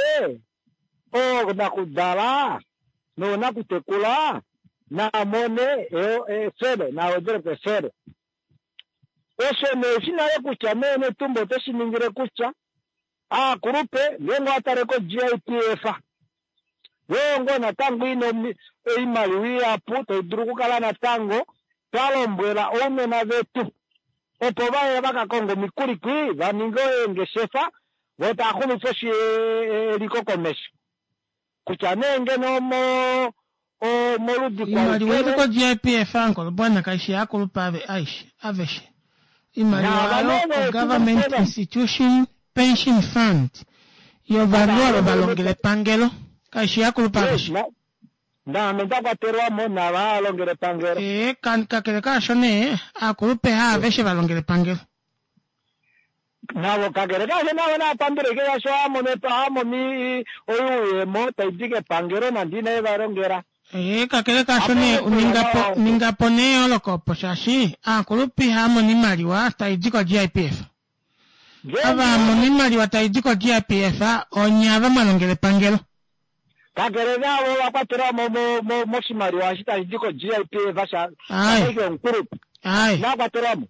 oonakudala noonakutekula naa mone efele, naa wedele po efele. Osho nee ushi nale kutya mee Netumbo ote shi ningile kutya aakulupe ngeenge owa tale ko-GIPF yoo ngoo natango ina oimaliwa ihapu tai dulu okukala natango twa lombwela ounona vetu opo vaye va ka konge omikuli kwi va ninge eengeshefa vo tava xumifa eliko komesho kutya nee ngeno omo moludi Oimaliwa ili ko-GIPF Ankolobwana kaishi yaakulupe aishe aveshe. Oimaliwa oyo oGovernment Institution Pension Fund yovanhu ava va longela epangelo kaishi yaakulupe aveshe. Naame nda kwatelwa mo naava hava longele epangelo. Ee, kakele kaasho nee, aakulupe haaveshe va longela epangelo. Navo kakele kaasho navo nava pandule ike shaashi ohava mono oyuuyemo tai di kepangelo nande inave va longela. Ee, kakele kaasho nee, ninga po, ninga po nee eyooloko opo shaashi aakulupe ihava mono oimaliwa tai di ko-GIPF. Ava hava mono oimaliwa tai di ko-GIPF onye ava mwa longela epangelo. Kakele naavo ova kwatelwa mo moshimaliwa eshi tashi di ko-GIPF sha shaike omukulupe. Inava kwatelwa mo.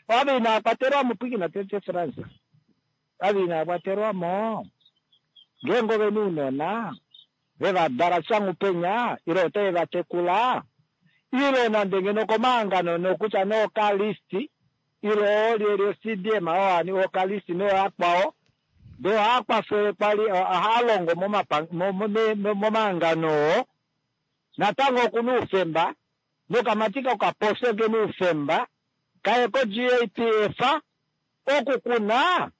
Ava inava kwatelwa mo, pwiikina tete Frans. Ava inava kwatelwa mo, ngeenge ove na ounona, ve va dala shanghupenya ile otave va tekula, ile nande ngeno okomahangano nokutya nee okalist ile oolyelye oCDM oo okalist nooyakwao, ndee ohaa kwafele kwali ohaa longo momahangano oo, natango oku na oufemba nokamati kokapofi oke na oufemba kaye koGAPF oku ku na.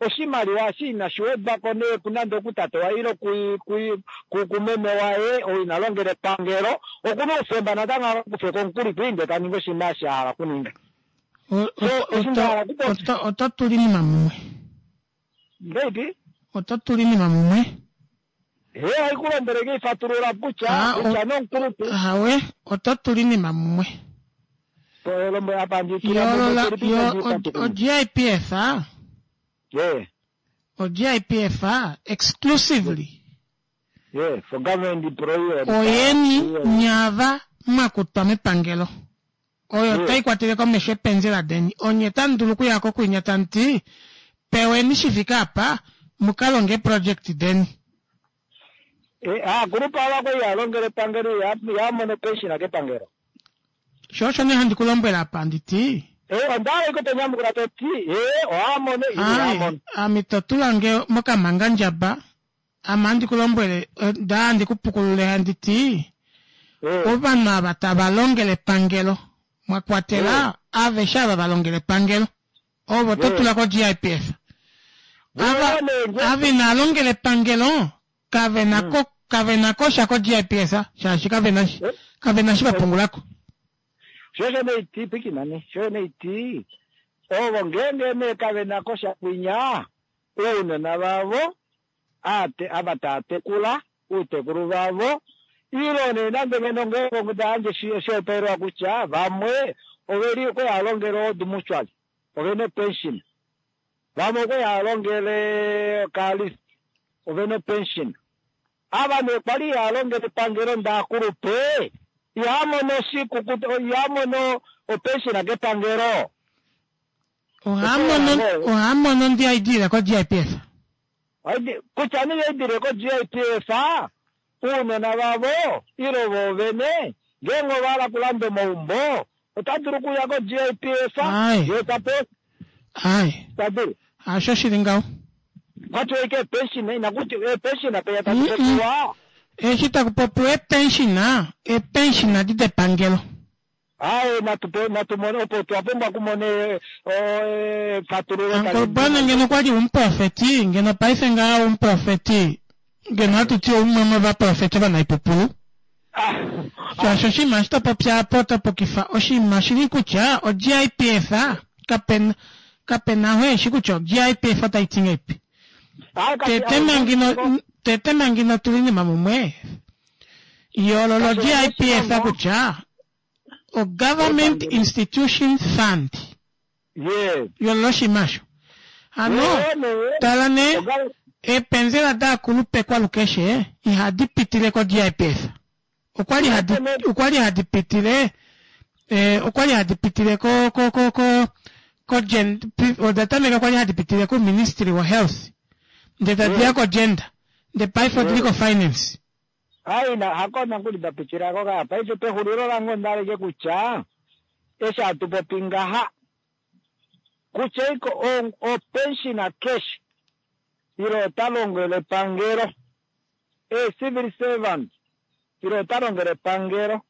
Oshimaliwa eshi inashi wedwa ko nee kunande okutate waye ile kumeme waye ou ina longela epangelo, oku na oufemba natango a ka kufe ko omukuli kwii ndee ta ningi oshinima eshi a hala okuninga. So, eshi nda hala okupopya. Oto tula oinima mumwe. Ngahelipi? Oto tula oinima mumwe. Hee, ohai ku lombwele nge fatulula kutya, ah, kutya nomukulupe. Ahawe, oto tula oinima mumwe. Yoolola o-GIPF o-GIPF exclusively oyeni nyaava mwa kutwa mepangelo oyo tai kwatele komesho epenzela deni onye tamu dulu okuya ko kwinya tamu ti peweni shi fike apa mu ka longe eeproject deni. Aakulupe ava kwali ihaya longele epangelo ihaya mono opension kepangelo. Sho osho nee handi ku lombwele apa handi ti. Onda hala ashike to nyamukula to ti ee ohaya mono ile ihaya mono. Ame to tula nge mokamhangandjaba, ame ohandi ku lombwele nda handi ku pukulule handi ti ovanhu ava tava longele epangelo mwa kwatela aveshe ava va longela epangelo ovo to tula ko GIPF. Ava ava inaa longela epangelo kave na ko kave na ko sha ko GIPF shaashi kave na kave na shi va pungula ko. Sho osho nee iti pwikina nee, sho nee iti ovo ngeenge nee kave na ko sha kwinya ounona vavo aate ava taa tekula uutekulu vavo ilo nee nande ngeno ngeenge onda yandje oshihopaelelwa kutya vamwe oveli okwali hava longele Old Mutual ovena opension, vamwe okwali hava longele Carlist ovena opension. Ava nee kwali ihava longele epangelo ndee akulupe ihava mono oshikukuta ihava mono opension kepangelo. Ohaa mono ndi hai dile ko-GIPF. Kutya nee ihai dile ko-GIPF, uunona vavo ile voovene ngeenge ova hala okulanda omaumbo ota dulu okuya ko-GIPF yee ta pewa. Ta dulu. Hasho shi li ngaho. Kwa tiwa ashike eepension, inaku tiwa eepension penya tadi popiwa. Eshi taku popiwa eepension, eepension adi depangelo. Aaye, natu pe, natu mone, opo twa pumbwa okumona e, o, efatululo tali Uncle Bwana ngeno kwali umuprofeti, ngeno paife ngaha umuprofeti, ngeno hatu ti oumwe womovaprofeti ovanaipupulu. Shaashi oshinima eshi to popi apa oto pukifa oshinima oshili kutya oGIPF kapena kapena oo eshi kutya oGIPF otai ti ngahelipi. Tete manga ino tete manga ino tula oinima mumwe yoolola oGIPF kutya o Government Institution Fund. Yoolola oshinima osho. Hano tala nee eepenzela daakulupe kwalukeshe ihadi pitile koGIPF. Okwali hadi okwali hadi pitile eh, okwali hadi pitile ko ko ko ko ko gen, oda tameka kwali hadi pitile ku Ministry wo Health nde tadi ya ko gender nde paife odili ko finance. Ai na hako nokuli da pitila ko ka paife pexulilo lange onda hala ashike kutya eshi hatu popi ngaha kutya iko o pensioner keshe ile ota longele epangelo e civil servant ile ota longele epangelo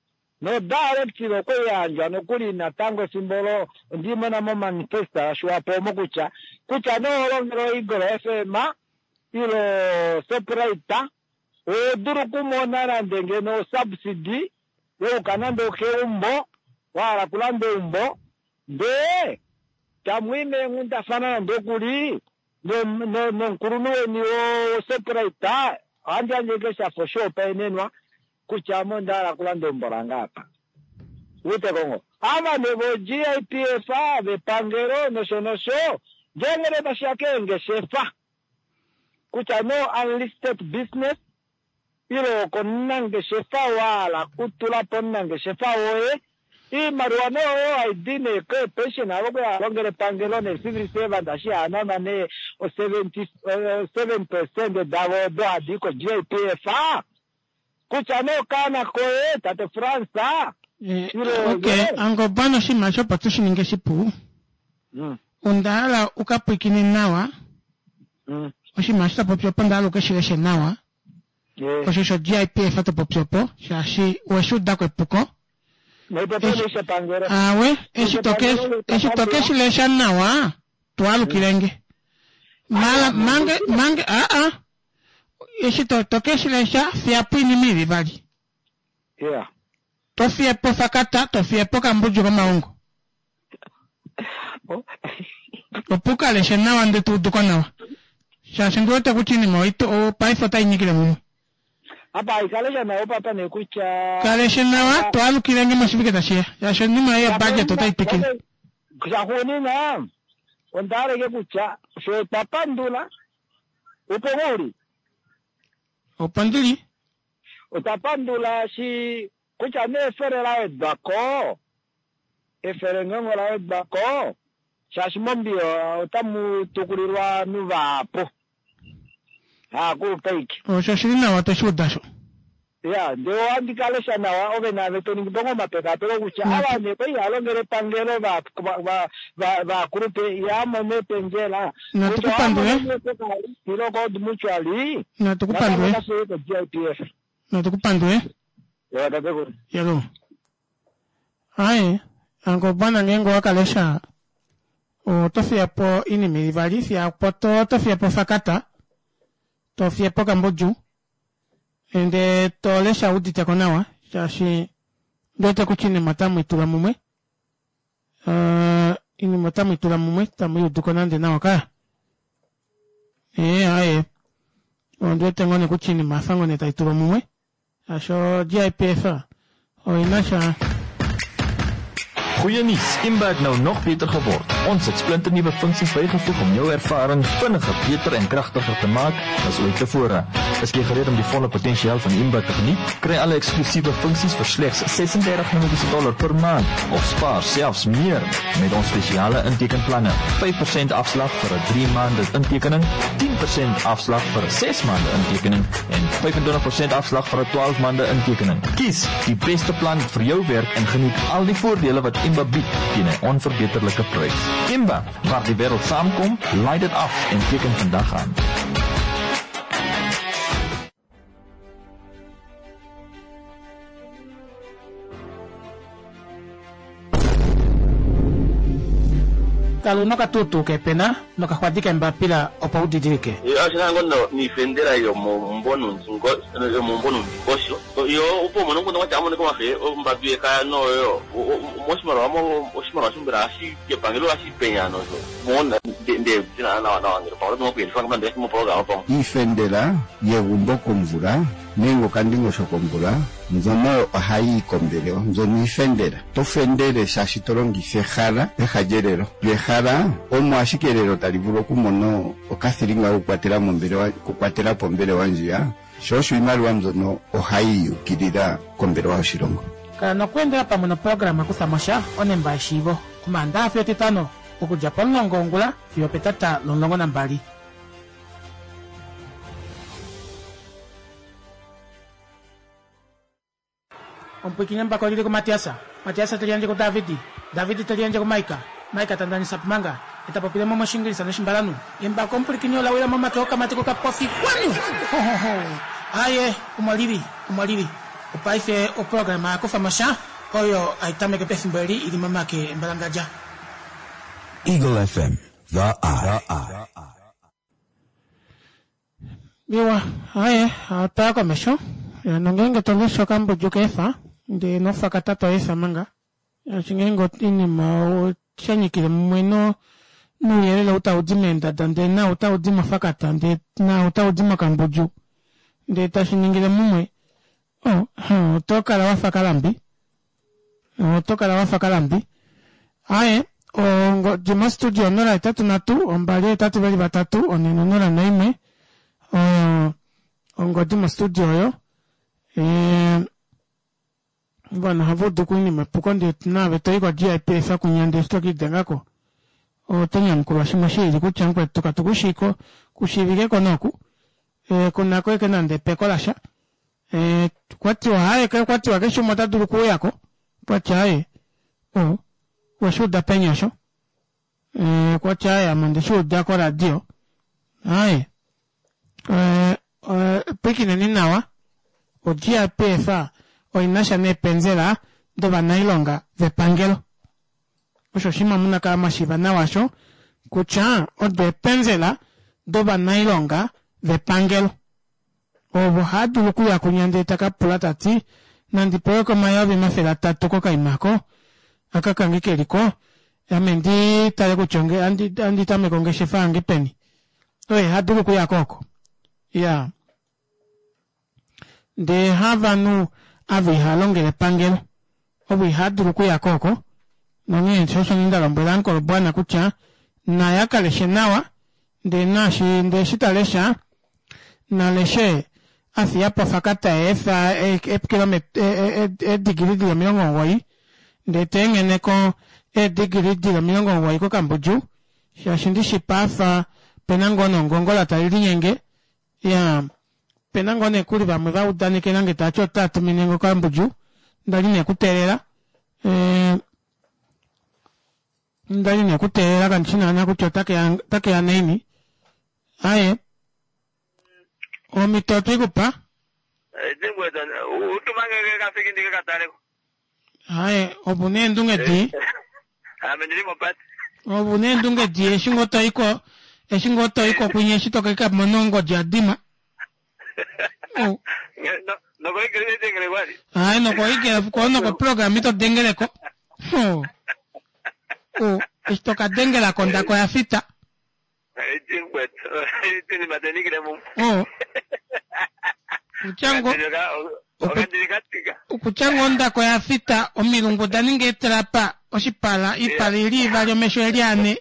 no directive okwe i yandjwa nokuli natango efimbo olo ondi mona mo manifesto ya Swapo omo kutya kutya nee oho longele o Eagle FM ile o Shoprite oho dulu okumona nande ngeno o subsidy yokuka nande okeumbo wa hala okulanda eumbo ndee tamu i meenghundafana nande okuli nomukulunhu weni woShoprite ohandi yandje ashike shafa oshihopaenenwa kutya ame onda hala okulanda eumbo lange apa. Uwete ko ngoo? Ava nee voGIPF, vepangelo nosho nosho, ngeenge nee tashi ya keengeshefa, kutya nee o-unlisted business ile okomunangeshefa wa hala okutula po omunangeshefa woye, iimaliwa nee oyo hai di nee keepension avo okwali hava longele epangelo nee civil servant eshi hava nanwa nee o 77% davo odo hadi i koGIPF kutya nee okaana koye tate Frans ile Ok, Angobana oshinima osho opo tu shi ninge shipu, onda hala u ka pwiikine nawa oshinima eshi to popi opo onda hala u ke shi leshe nawa osho sho GIPF to popi opo shaashi owe shi udako epuko aawe eshi to ke eshi to ke shi lesha nawa to alukile nge. Mala mange mange aa eshi to to ke shi lesha fiya po oinima ili vali. Yeah. To fiye po fakata, to fiye po kambudju komaungo. Opo u ka leshe nawa ndele to udu ko nawa. Shaashi ndi wete kutya oinima oi paife otai nyikile mumwe. Apa ikalesha nawa papa nee kutya Kaleshe nawa to alukile nge moshivike tashi ya. Shaashi oinima ei yobudget otai twikile. Shaxuuninwa onda hala ike kutya fye otwa pandula opo ngoo uli? Opo ndili. Otwa pandula shi kutya nee efele la wedwa ko, efele ngeenge ola wedwa ko shaashi mombiyo otamu tukulilwa ovanhu vahapu. Haakulupe aike. Osho oshi li nawa tweshi uda sho. Ya, ndee ohandi ka lesha nawa, ove naave to ningi po ngoo omapekapeko kutya ava nee kwali ihava longele epangelo va, va, va, vaakulupe ihava mono eependjela, Natu kutya ku ohava pandule. mono nee koKalisi ile koOld Mutual, Natu ku natango pandule. otashi uye koGIPF. Natu ku pandule. Ewa tatekulu. Yalo. Aye, angobwana ngeenge owa ka lesha oto fiya po oinima ili vali, fiya po to, oto fiya po fakata, to fiye po kambudju, ndee to lesha udite ko nawa, shaashi ndi wete kutya oinima otamu i tula mumwe. Uh, oinima otamu i tula mumwe, tamu i udu ko nande nawa kaya. Ee, aye. Ondi wete ngoo nee kutya oinima oya fa ngoo nee tai tulwa mumwe. Shaashi o-GIPF oi na sha. Goeie nuus, Imba het nou nog beter geword. Ons het splinternuwe funksies bygevoeg om jou ervaring vinniger, beter en kragtiger te maak as ooit tevore. Is jy gereed om die volle potensiaal van Imba te geniet? Kry alle eksklusiewe funksies vir slegs 36 Namibiese dollar per maand of spaar selfs meer met ons spesiale intekenplanne. 5% afslag vir 'n 3 maande intekening, 10% afslag vir 'n 6 maande intekening en 25% afslag vir 'n 12 maande intekening. Kies die beste plan vir jou werk en geniet al die voordele wat Imba bied teen 'n onverbeterlike prys. Imba, waar die wêreld saamkom, laai dit af en teken vandag aan. Kala una okatuutuu keepena nokaxwadi keembapila opo u didilike. Oshi na ngo niifendela yomomumvo nuundingosho yo opo umone omukundu gwatya amoneka omafe ombambi yekaya noyo moshimaliwa oshimaliwa shombela ohashi kepangelo ohashi penya nosho mona nde nawa nawa ngele pamwe oto kuyelifa ngamba moprograma pamwe Iifendela yegumbo komvula nenge okandingosho komvula mbyono ohayi yi kombelewa mbyono iifendela. To fendele shaashi to longitha ehala peha lyelelo. Lyo ehala omo ashike elelo tali vulu okumona okathilinga kokukwatela mombelewa okukwatela po ombelewa ndjiya, sho osho iimaliwa mbyono ohayi yukilila kombelewa yoshilongo. Kala nokweendela pamwe noprograma Kutha mo sha onemba yeshiivo, Omaandaha fiyo Etitano, okudja pomulongo wongula fiyo opetata lomulongo nambali. Omupwiikini embako oli li kuMatias, Matias te liyandje kuDavid, David te liyandje kuMaika, Maika ta ndanisa Pumanga, e ta popile mo mOshiingilisa nOshimbalanhu. Embako omupwilikini ola wila momake okamati kokapofi kwanu! Hohoho! Aaye, omo li li, omo li li. Opaife oprograma ya kufa mo sha, oyo hai tameke pefimbo eli i li momake embalangadja. Eagle FM, the eye. Iwa, aye, otwa ya komesho. Ya, nongeenge to lesha okambudju ka efa, ndee nofakata to efa manga. Shaashi ngeenge oinima osha nyikile mumwe no nouyelele ou tau di meendada ndee nau tau di mofakata ndee nau tau di mokambudju ndee tashi ningile mumwe, oh, oto kala wafa kalambi. Oto kala wafa kalambi. Aye, ongodi mostudio 083 283 401 oyo ongodi mostudio oyo. E, ovanhu ohava udu oinima epuko ndee naave to i ko-GIPF kunya ndee eshi to ke i denga ko oto nyamukulwa shimwe shi lili kutya mukwetu katu ku shii ko ku shiivike ko nooku e, ku na ko eke nande epeko lasha e, kwa tiwa haye kwa tiwa keshe umwe ota dulu okuuya ko kwa tya haye o weshi uda peni osho e, kwa tya haye ame onde shi uda koradio haye e, e, pwikineni nawa o-GIPF oi na sha neepenzela dovanailonga vepangelo osho oshinima muna kala mwa shiiva nawa osho kutya odo eepenzela dovanailonga vepangelo. Ovo haa dulu okuya kunya ndee ta ka pula ta ti, Nandi pewe ko 300,000 kokaima ko aka kange ke li ko, ame ndi tale kutya onge, andi, andi tameke ongeshefa yange peni. Oye ha dulu okuya ko oko. Ya. Ndee havanhu ava ihaa longele epangelo, ovo ihaa dulu okuya ko oko. Nonghee sho osho nda lombwela Ankolobwana kutya naya ka leshe nawa, ndee naashi ndee eshi ta lesha, na leshe a fiya po ofakata yeefa eedigili dili 90 ndee ta enghene ko eedigili dili 90 kokambudju shaashi ndishi paafa pena ngoo nongongola tali linyenge ya pena ngoo nee kuli vamwe va udanekela nge tati otaa tumine nge okambudju ndali nee kuteelela eh, ndali nee kuteelela kandi shi naana kutya otake ya naini aye omhito otwe ku pa aye opu na eendunge dii opu na eendunge dii eshi ngoo to i ko eshi ngoo to i ko kwinya eshi to ka mona ongodi ya dima aye nokoigele ko nokoprograma ito dengele ko eshi to ka dengela ko ondaka oya fita Okutya ngoo ondaka oya fita, omilungu oda ninga eetrapa, oshipala, oipala i li ivali, omesho e li ane.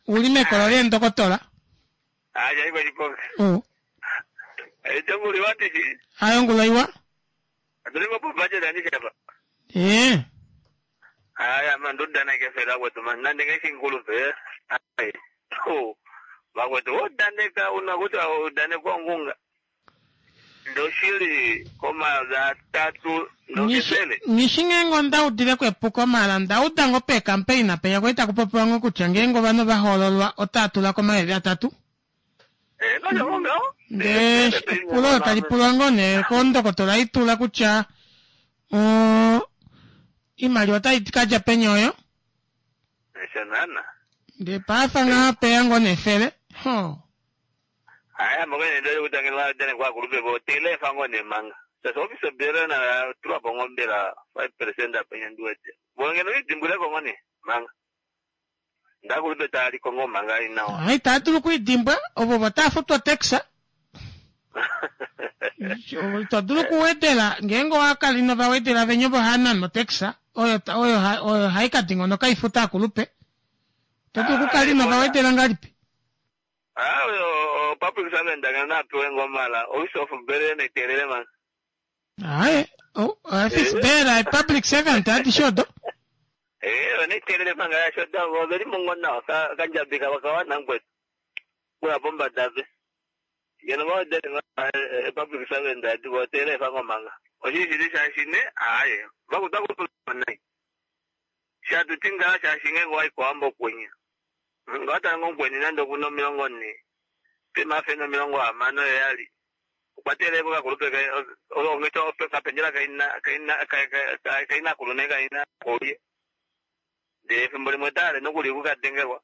U li mekolo leendokotola. Aye ongula iwa. Ee. Aya man ndodaneke fela vakwetu man nande ngeshinkulupe ai vakwetu vodaneka una kuti udanekwa ongunga ndoshili komayovi atatu ndokefele. Nghi shi ngeenge onda udile ko epuko maala nda uda ngoo peekampeina penya kwali taku popiwa ngoo kutya ngeenge ovanhu ova hoololwa otaa tula ko 3000. Ndee epulo olo tali pulwa ngoo nee kondokotola Itula kutya oimaliwa otai ka dja peni oyo? Ndee paafa ngaha peya ngoo nee efele. Hoo. Aya moka nee ndali kutangela dane kwa kulupe vo telefa ngoo nee manga. Sasa office bela na tulwa po ngoo mbela 5% apa nyandiwete. Vo ngeno idimbwileko ngoo nee manga. Ndakulupe taa li ko ngoo manga ai nawa. Ah, itaa dulu okwiidimbwa ovo ovo taa futwa otax. Ito dulu okuwedela ngeenge owa kala ino va wedela venya ovo haa nana otax oyo oyo oyo hai ka dingonoka ifuta akulupe. Ito dulu okukala ino va wedela ngahelipi? Ah, oyo public servant ngeno na pewe ngoo mala office of bele neteelele manga. Aye, oh, office bearer, public servant adishe odo. Eh, oneteelele manga yasho da oveli mongo nawa ka kandjabi kava kawana mkwetu. Kuya pombada pe. Ngeno va wedele nga public servant adi vo teele fango manga. Oshi shili shaashi ne aye vakuta ku nai. Shatu ti ngaa shaashi ngeenge owa i kOwambo kwinya, nge owa tala ngoo mukweni nande oku na 40, pemafe na 67, okwa teelela kokakulupe kaye, onghedi okapendjela kainakulu ne kainakulye. Ndele efimbo limwe ota hale nokuli oku ka dengelwa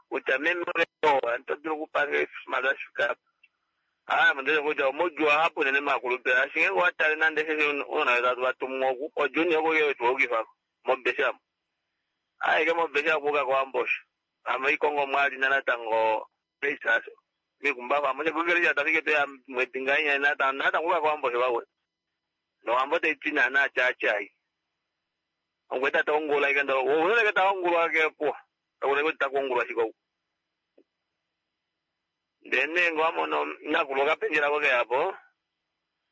kutya meme ove oo oto dulu okupa nge oshimaliwa shi fike apa. Aa, ame kutya omaudjuu ahapu unene maakulupe, shaashi ngeenge owa tale nande eshi ounona vetu hatu va tumu oku, oJuni oku ke tu yukifa ko mobesha omu. Aeke mobesha okuuka kOwambo osho. Ame oikongo mwali na natango peisasho. Mikumbafa amo shekukele sha tafike toya mwedi ngainya natango natango uka kOwambo osho vawe. Nowambo tai ti naana tyaatyaai. Omukweta ta ongula ike ndo, wo ta ongulwa ke puwa. Kakuna kuti takuongulwa shike oku. Ndele nee nge wamono nakulu okapendjela ko keya po,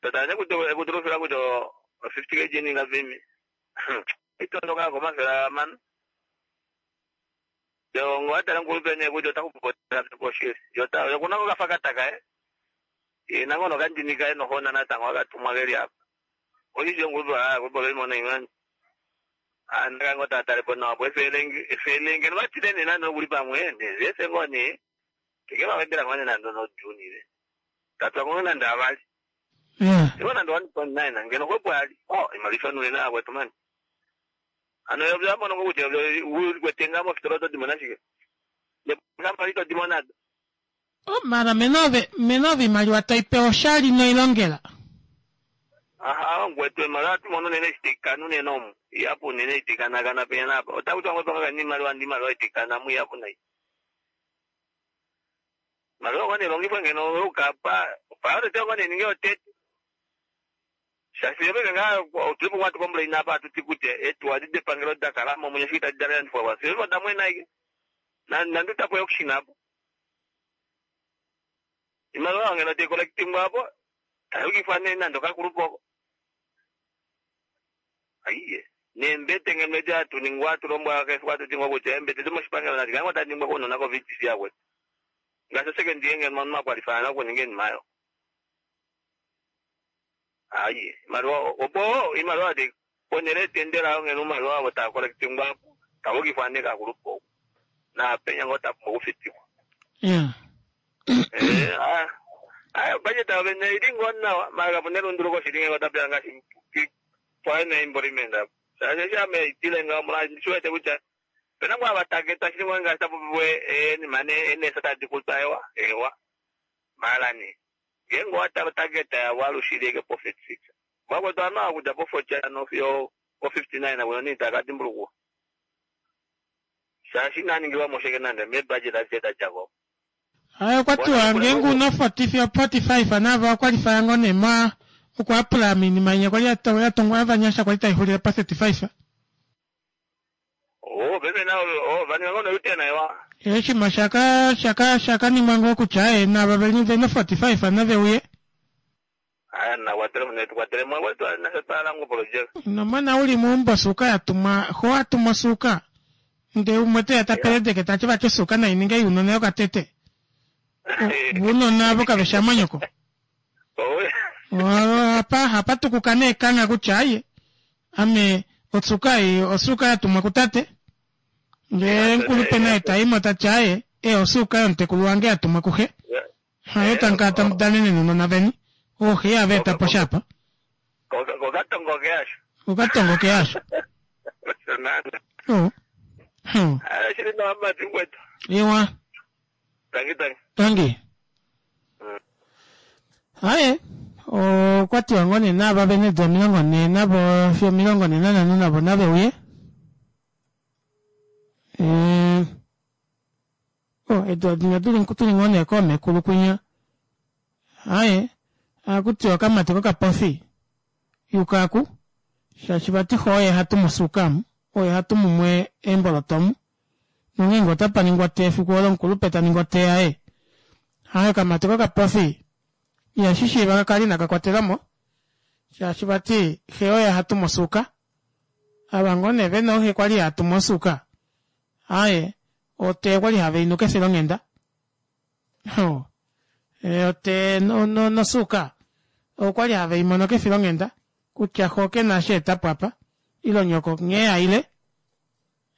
to tale nee kutya ekutulufila kutya o 50 kg ninga vimi. Itondoka ko 600. Yo nge watale mukulupe nee kutya ota xupu po shili. Yo ta yo kuna kokafakata kaye. Ye nango nokandini kaye nohona natango akatumwa keli apa. Oshishi omukulupe aa kulupe oveli mona imani. Anda ngoo taa tale po nawa po efele ngeno va tile nee nande okuli pamwe nee vefe ngoo nee teke va wedela ngoo nee nande nojuni ve tatwa ngoo nande avali ivo nande 1.9 ngeno xwepo ali oh imaliwa ifanule na akwetu mani ano yo vyamono ngoo kutya ulikwete ngaa mofitola oto dimona shike. Nepamba ito di mo nado. Oh, mara mena ove imaliwa tai pewa oshali noilongela. Aha, ngwetu imaliwa hatu mono unene eshi taikana unene omu. Ihapu unene eshi taikanakana penya naapa. Otaku tiwa ngoo panga imaliwa ndi imaliwa itaikana mu ihapu nai. Imaliwa ngoo neelongifwe ngeno youkapa, priority ngoo neninge yotete. Shaashi paife ngaa otuli po hatu complain apa hatu ti kutya eetuwa edi depangelo da kala mo omwenyo eshi itadi da landifwa po. Fiyo oda mwena ashike. Nande utapo auction apo. Imaliwa oyo ngeno tai collectingwa apo, tayukifwa nee nande okakulupe oko. Aiye, neembete ngeno edi hatu ningwa hatu lombwelwa keshe efiku hatu ti ngoo kutya eembete domoshipangelo nadi kale ngoo tadi ningwa kounona ko-VTC akwetu. Ngaashi osecond year ngeno omunhu a kwalifaya okuninga oinima oyo. Aiye, imaliwa opo imaliwa tai ponhele yetendela oyo ngeno oumaliwa ovo tava collectingwa apo tava ukifwa nee kakulupe oko. Naapenya ngoo ta pumbwa okufitikwa. Yeah. Eh, ah, ah, budget yavo vene ili ngoo nawa, mara kapu na elunduluko shili ngenge otapeya ngaashi pwaye employment apo. Shaashi eshi ame itile ngaho molwaashi ndi shi wete kutya opena ngoo ava targetwa shili ngoo ngaashi tapu popiwa eenima eenesa tadi kutwa ewa, ewa. Mara nee, ngeenge owa tala otarget yavo alushe ili ashike po 36. Vakwetu ovanhu ava okudja po 40 hano fiyo o 59 kuno nee itava ka dimbulukiwa. Shaashi inaa ningilwa mo sheke nande meebudget adishe da dja ko. Haye okwa tiwa ngeenge una 40 fiyo 45 navo okwa lifaya ngoo nee ma oku apply moinima inya kwali ya tongwa yovanyasha kwali taixulile pa 35. Oh, paife nao oh, va ninga ngoo no-U-turn ewa. Oshinima shaka shaka shaka ningwa ngoo kutya aye nava veli vena 45 nave uye. Aya na kwatele mo tu kwatele mo kwetu nafye twa hala ngoo oprojeka. Ino mona uli meumbo osuuka ya tumwa xo a tuma osuuka ndee umwe teya ta peledeke tati vati osuuka nai ninge younona yokatete. Ounona avo kave shi amanyoko. Apa hapa tukuka nee ekangha kutya aye ame osuuka ei osuuka ya tumwa kutate. Ndee omukulupe naye taimo tati aye e osuuka yomutekulu wange ya tumwa kuxe. Hayo tamu kala tamu danene nounona veni. Ooxe ihava eta po sha apa. Kokatongo ke asho. Kokatongo ke asho. Osho naana. Oh. Hmm. Ah, shili nawa mati kwetu. Iwa. Tangi tangi. Tangi. Haye. Okwa tiwa ngoo nee naava vene eedula 40 navo fiyo 45 navo nave uye. Eh. Oh, eedula dinya dili tuli ngoo nee koomekulu kwinya. Aye, ohaku tiwa okamati kokapofi yuka aku, shaashi vati xo oye ha tumu osuuka amu, oye ha tumu mwe eemboloto omu. Nongeenge otapa ningwa otee efiku olo omukulupe ta ningi otee yaye. Aye, okamati kokapofi ihashi shiiva ka kale inaka kwatelwa mo, shaashi vati xe oye ha tumu osuuka. Ava ngoo nee vena ooxe kwali haa tumu osuuka, Aaye, otee okwali have i nu kefilonghenda. Oh. E, otee no, no, nosuuka okwali have i mono kefilonghenda kutya xo ke na eshi a eta po apa ile nyoko nghee a ile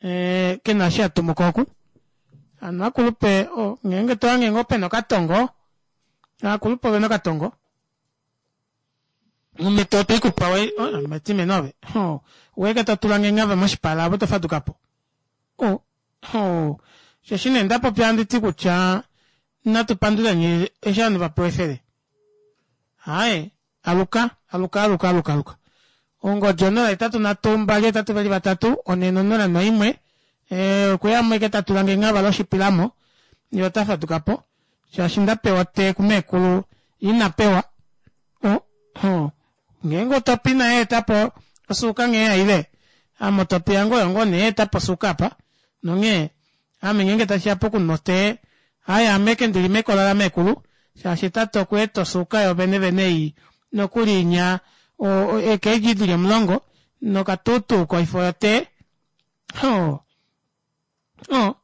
e, ke na eshi a tumu ko oku. Hano akulupe o, ngeenge to hange ngoo pena okatongo, akulupe ovena okatongo. Omhito ote i ku pa we, oh, metime nove. Oh, weke to tula nge ngava moshipala avo to faduka po. Oh, oh. Osheshi nee nda popya handi ti kutya natu panduleni eshi ovanhu va pewa efele. Haye, aluka, aluka, aluka, aluka, aluka. Ongodi 0 8 3 2 8 2 3 4 0 1 eh, okuya mweke ta tula nge ngava loshipilamo ye ota faduka po shaashi nda pewa te kumeekulu ina pewa o oh, ngeenge otopi naye eta po osuuka nghee ya ile ame otopi yange oyo ngoo nee eta po osuuka apa nonghee ame ngeenge tashi ya pokunwa otee haye ame ke ndili mekola lameekulu shaashi tate okwa eta osuuka yo vene vene ei nokuli inya eekeedji dili omulongo nokatuutuu koifo yotee oh. Oh,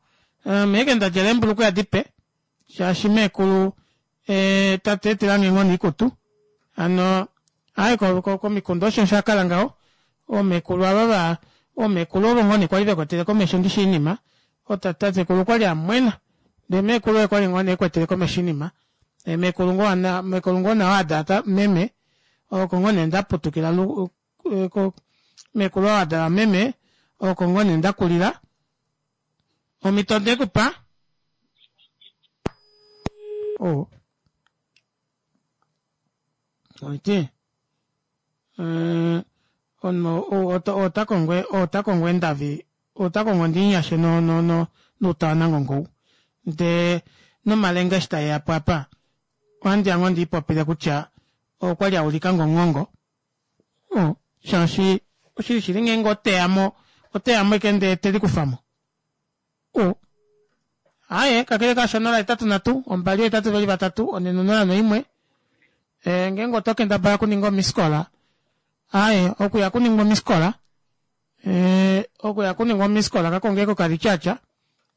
ame eke nda djala eembulukweya dipe shaashi meekulu eh, tate etilange ngoo niikutu hano aye komikunda osho sha kala ngaho oomekulu ava va oomekulu ovo ngoo nee kwali vekwetele komesho ndishi oinima otatekulu kwali amwena ndee meekulu oye kwali ngoo nee ekwetele komesho oinima meekulu ngoo meekulu ngoo nawa adala meme oko ngoo nee ndaputukila meekulu oo adala meme oko ngoo nee ndakulila omhito nde ku pa. O. Oiti. Eh, omunhu ou ota kongo ota kongo endavi ota kongo ndinyashe no no no noutawanangongo ou ndee nomalenga eshi tae ya po apa ohandi ya ngoo ndiipopile kutya okwali a ulika ngonghongo oh, shaashi oshili shili ngeenge oteya mo oteya mo eke ndee te likufa mo oh. Aye kakele kaasho 0 8 3 2 8 2 3 4 0 1 e, ngeenge oto kendabala okuninga omiskola aye okuya kuningwa omiskola e, okuya kuningwa omiskola kakongeko kalityatya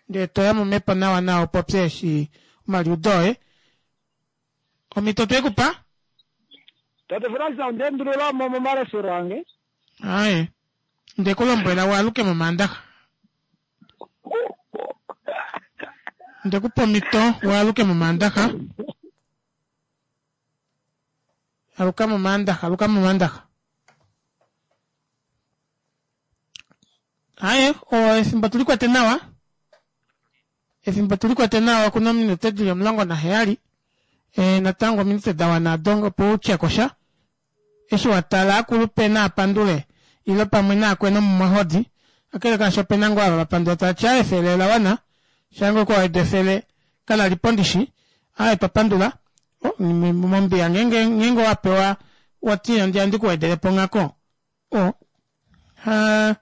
ndee toya momhepo nawa nawa upopye eshi omaliudo oye omhito otwe ku pa Tate Frans onda endulula mo momaleshelo ange. Aye nde ku lombwela waaluke momaandaxa nde ku pa omhito waaluke momaandaxa aluka momaandaxa aluka momaandaxa Aye, o efimbo tuli kwete nawa. Efimbo tuli kwete nawa okuna ominute dili 17. E, natango ominute da wana ado opo u tye ko sha. Eshi wa tala akulupe naa pandule ile pamwe naakwena omumwahodi. Kakele kaasho ope na ngoo ava va pandula tava ti aye efele ola wana. Shange okwa weda efele kala li po ndishi. Aye twa pandula. O, mombiya ngeenge ngeenge owa pewa wati ohandi ku wedele po nghako. O, ha,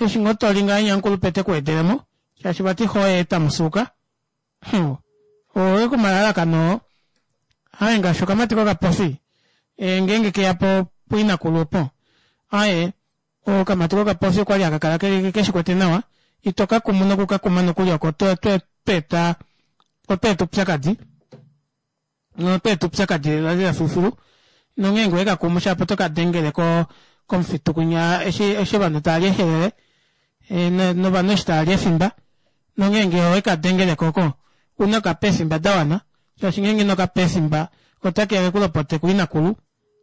eshi ngoo to li ngahenya omukulupe te ku wedele mo, shaashi vati xo oye ta musuuka. Hum, oye komalalakano oo. Aye ngaashi okamati kokapofi, e, ngeenge ke ya po puinakulu opo. Aye, okamati kokapofi okwali haka kala ke, ke shi kwete nawa, ito ka kumu noku ka kuma nokuli oko to, to, to eta, oto eta oupyakadi. Oto eta oupyakadi lela lela filufilu. Nongeenge owe ka kumu shapo oto ka dengele ko komufitu kwinya eshi eshi ovanhu tava li ehelele e, novanhu eshi tava li efimba. Nongeenge owe ka dengele ko oko una ka pa efimba da wana shaashi ngeenge ino ka pa efimba otake ya ke ku lopote kuinakulu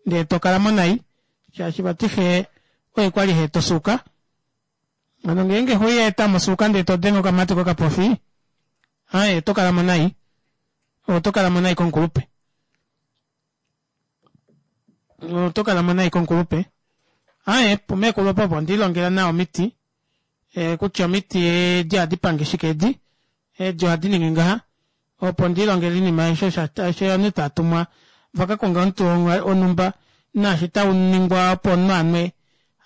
ndee to kala mo nai shaashi vati xe oye kwali he to suuka. Hano ngeenge xo iha eta mo osuuka ndee to denge okamati kokapofi, aye oto kala mo nai. Oto kala mo nai komukulupe. Oto kala mo nai komukulupe. Aye, pumeekulu opo opo ondi ilongela nawa omiti, e, kutya omiti edi ohadi pange shike edi, edi ohadi ningi ngaha. Opo ndi ilongele oinima aishe osho ovanhu tava tumwa va ka konge omuti wonhumba naashi tau ningwa opo omunhu a nwe.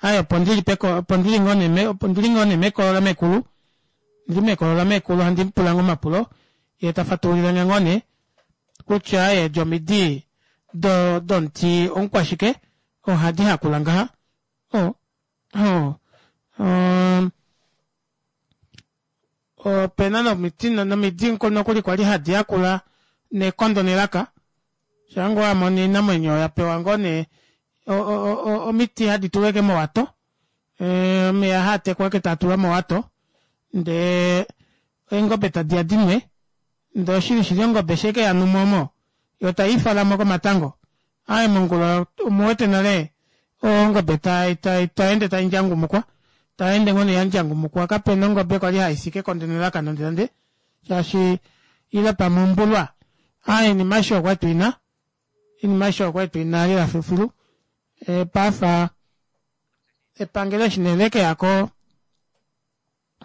Aye opo ndi li peko opo ndi li ngoo nee me opo ndi li ngoo nee mekolo lameekulu ndi li mekolo lameekulu handi mu pula ngoo omapulo ye ta fatulile nge ngoo nee kutya aye edi omidi do domuti omukwashike ohadi hakula ngaha. O o um, Ope na nomiti nomidi nokuli kwali hadi yakula nekondo nelaka. Shaa ngoo wa mono oinamwenyo ya pewa ngoo nee omiti hadi tulwa eke mowato, omeya haa tekwa eke taa tulwa mowato ndee eengobe tadi ya dinwe. Ndee oshili shili ongobe eshi eke ya numo omo yo tai ifala mo komatango. Aaye mongula omu wete nale ongobe tai tai tai ende tai ndjangumukwa, tai ende ngoo nee ya ndjangumukwa. Kape na ongobe kwali hai fi kekondo nelaka nande nande shaashi ile pamwe ombulwa. Aaye oinima aishe okwali tuina, oinima aishe okwali tuina lela filufilu. E, paife epangelo eshi nee leke yako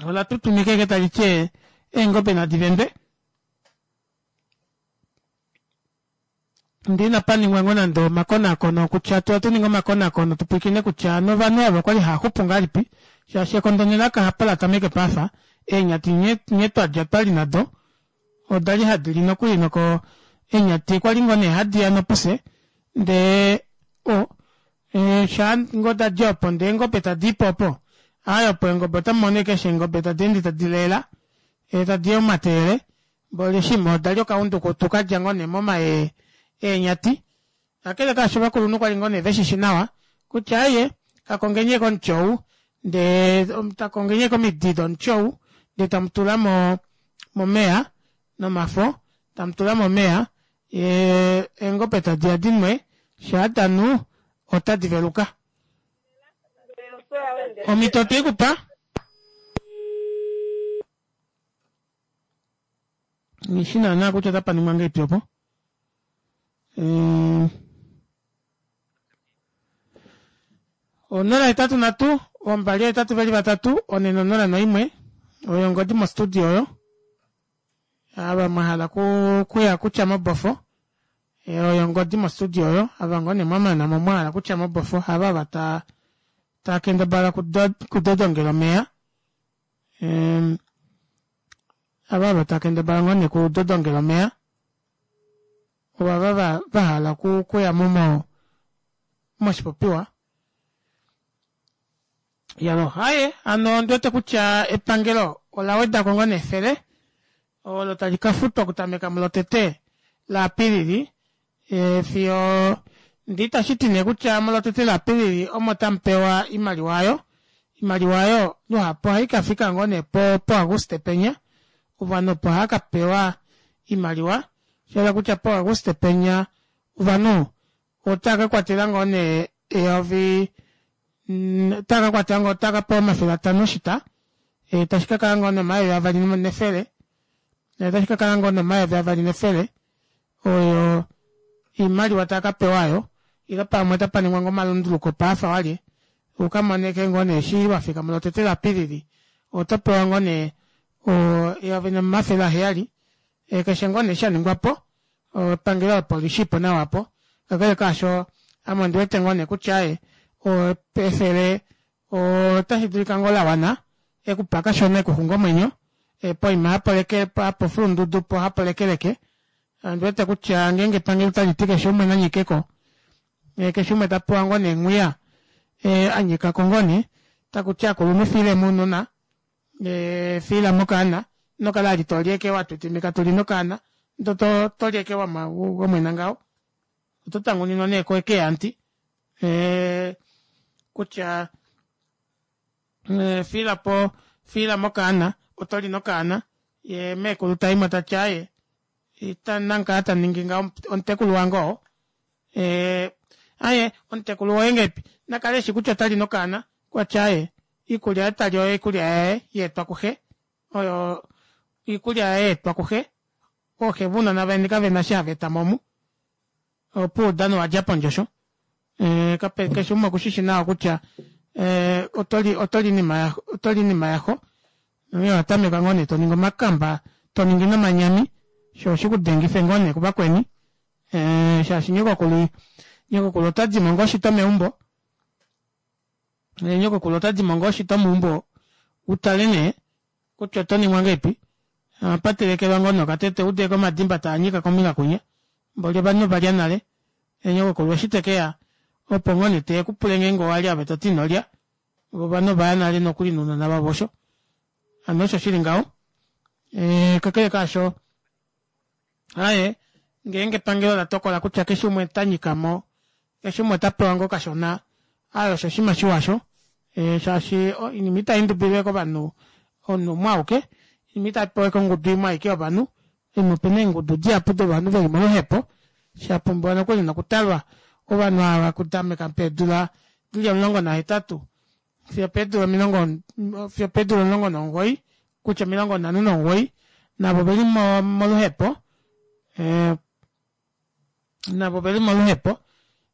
ola tutumika eke tali ti eengobe nadi vendwe. Ndee inapa ningwa ngoo nande omakonaakono kutya tu atu ninge omakonaakono tu pwilikine kutya hano ovanhu ava okwali hava xupu ngahelipi shaashi ekondo nelaka hapo la tameke paafa eenyati nghee nghee twadja twali nado odali hadi li nokuli noko eenyati kwali ngoo nee hadi ya nopuse ndee o e, shaa ngoo dadi opo ndee eengobe tadi ipo opo aye opo eengobe otamu mono keshe eengobe tadi ende tadi leela e, tadi omateele Mboli shimwe oda li okaundukutu ka dja ngoo nee momayee eenyati. Kakele kaasho ovakulunhu kwa li ngoo nee ve shi shi nawa kutya aye ka kongeni ashike omuti ou ndee ta kongeni ashike omidi domuti ou ndee tamu tula mo momeya nomafo tamu tula momeya yee eengobe tadi ya di nwe shaa da nu otadi veluka. Omhito otwe i ku pa. Nghi shi naanaa kutya otapa ningwa ngahelipi opo. 083 283 401 oyo ongodi mostudio oyo ava mwa hala okuya kutya mobofo oyo ongodi mostudio oyo ava ngoo nee mwamana mo mwa hala kutya mobofo hava ava ta taa kendabala kudodongela omeya ava ava taa kendabala ngoo nee kudodongela omeya ovava va hala okuya mo moshipopiwa Yalo, haye, hano ondi wete kutya epangelo ola weda ko ngoo nefele olo tali ka futwa okutameka mulotete laApilili e, fiyo ndi itashi ti nee kutya mulotete laApilili omo tamu pewa imaliwa ayo. Imaliwa ayo luhapu ohai ka fika ngoo nee po poAguste penya, ovanhu opo hava ka pewa imaliwa, sha hala kutya poAguste penya ovanhu Otaa ka kwatela ngoo nee eyovi otaa ka kwatela ngoo otaa ka pewa 500 oshita e, tashi ka kala ngoo nomayovi avali nefele tashi ka kala ngoo nomayovi avali nefele oyo iimaliwa taa ka pewa ayo ile pamwe otapa ningwa ngoo omalunduluko paafa walye u ka moneke ngoo nee eshi wa fika mulotete laApilili oto pewa ngoo nee eyovi nomafele aheyali e, keshe ngoo nee sha ningwa po epangelo opo li shi po nawa po. Kakele kaasho, ame ondi wete ngoo nee kutya aye, efele otashi dulika ngoo la wana ekupa kashona ekuxunga omwenyo poima hapo leke hapo fulundudu po hapo lekeleke. Ondi wete kutya ngeenge epangelo otali ti keshe umwe na nyike ko, keshe umwe ta pewa ngoo nee ngwiya a nyika ko ngoo nee, taku ti akulunhu fiilemo ounona fiila mokaana ino kala ali to li eke wa twitwimika to li nokaana ndo to to li eke wa mwena ngaho oto tanguninwa nee ko eke yanti kutya fiila po fiila mokaana oto li nokaana ye meekulu ta imo tati aaye ita nankaa ta ningi ngaho omutekulu wange oo aye omutekulu woye ngeipi nakale eshi kutya otali nokaana kwatya aye Iikulya ye ta li oyo iikulya yaye ya etwa kuxe. Oyo iikulya yaye ya etwa kuxe. Ooxe vounona veni kave na eshi hava eta mo omu. Opuwo oudano wa dja pondje osho. Eh, kape keshe umwe oku shi shi nawa kutya eh, oto li oto li inima ya oto li inima yaxo. Onghee owa tameka ngoo nee to ningi omakamba, to ningi nomanyami, sho shi ku dengife ngoo nee kuvakweni. Eh, shaashi nyokokulu nyokokulu ota di mo ngoo shito meumbo. Nyokokulu ota di mo ngoo shito meumbo u tale nee kutya oto ningwa ngeipi. Ohapa telekelwa ngoo nee okatete u ude ko omadimba taa nyika kombinga kwinya. Mboli ovanhu ova lya nale. Nyokokulu eshi te ke ya opo ngoo nee te ku pule ngeenge owa lya ove to ti ino lya. Vo ovanhu ova ya nale nokuli nounona vavo osho. Hano osho shi li ngaho. Kakele kaasho, Aye, ngeenge epangelo la tokola kutya keshe umwe ota nyika mo, keshe umwe ota pewa ngoo kashona, aye osho oshinima shiwa osho, shaashi oinima itai ndubilwe kovanhu omunhu umwe auke, oinima itai pewa kongudu imwe aike yovanhu, oinima opena eengudu dihapu dovanhu veli moluhepo, sha pumbiwa nokuli nokutalwa ovanhu ava okutameka peedula dili 18 fiyo peedula omilongo fiyo peedula 19 kutya 59 navo oveli moluhepo eh, navo oveli moluhepo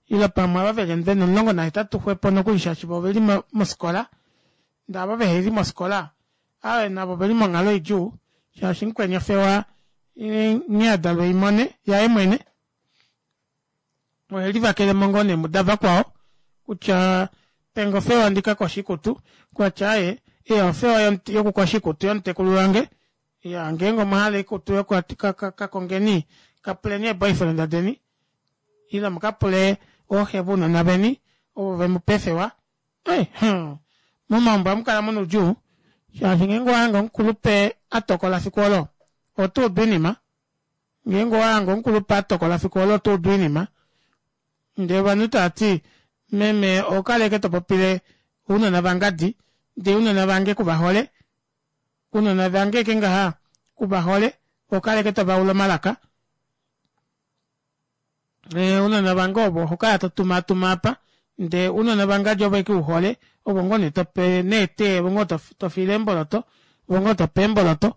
ile pamwe ava veli vena 18 xwepo nokuli shaashi vo oveli mofikola ndee ava veheli mofikola ave navo oveli monghalo idjuu shaashi mukweni ofewa nghee adalwa eimone yaye mwene ohe livakele mo ngoo nee mudavakwao kutya penge ofewa ndi ka koshe oikutu kwatya aaye eya ofewa yokukosha oikutu yomutekulu wange ya ngeenge omwa hala oikutu ka kongeni ka puleni eeboyfriend deni ile mu ka pule ooxe vounona veni ovo ve mu pa eefewa eh, hmm. momaumbo ohamu kala muna oudjuu shaashi ngeenge owa hange omukulupe a tokola fiku olo oto udu oinima Ngeenge owa hange omukulupe a tokola fiku olo oto udu oinima. Ndee ovanhu tava ti, Meme oho kala ashike to popile ounona vangadi, ndee ounona vange ku va hole. Ounona vange ashike ngaha ku va hole, oho kala ashike to va ula omalaka. Ounona vange ovo oho kala to tumaatuma apa, ndee ounona vangadi ovo ashike u hole, ovo ngoo nee to pe neetee, ovo ngoo to fiile eemboloto, ovo ngoo to pe eemboloto,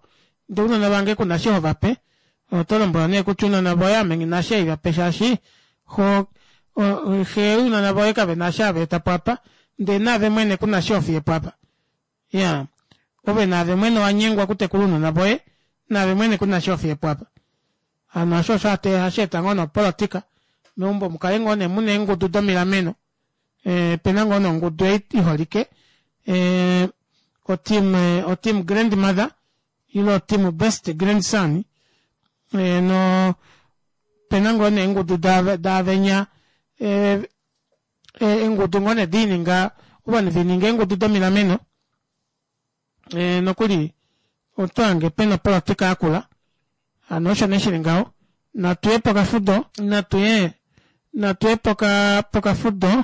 ndee ounona vange ku na eshi ho va pe. Oto lombwelwa nee kutya ounona voye ame nghi na eshi haiva pe shaashi xo xe ounona voye kave na eshi hava eta po apa ndee naave mwene ku na eshi ho fiye po apa. Iyaa, ove naave mwene owa nyengwa okutekula ounona voye, naave mwene ku na eshi ho fiye po apa. Hano osho osho hashi eta ngoo nopolotika meumbo mu kale ngoo nee mu na eengudu domilameno. Eh, pena ngoo nongudu ei iholike eh, oteam, eh, oteam grandmother ile oteam best grandson eh, no pena ngoo nee eengudu daavenya eh, eh, eengudu ngoo nee diininga ovanhu vininga eengudu domilameno eh, nokuli oto hange pena opolotika yakula hano osho nee shili ngaho natuye pokafudo natuye natuye poka pokafudo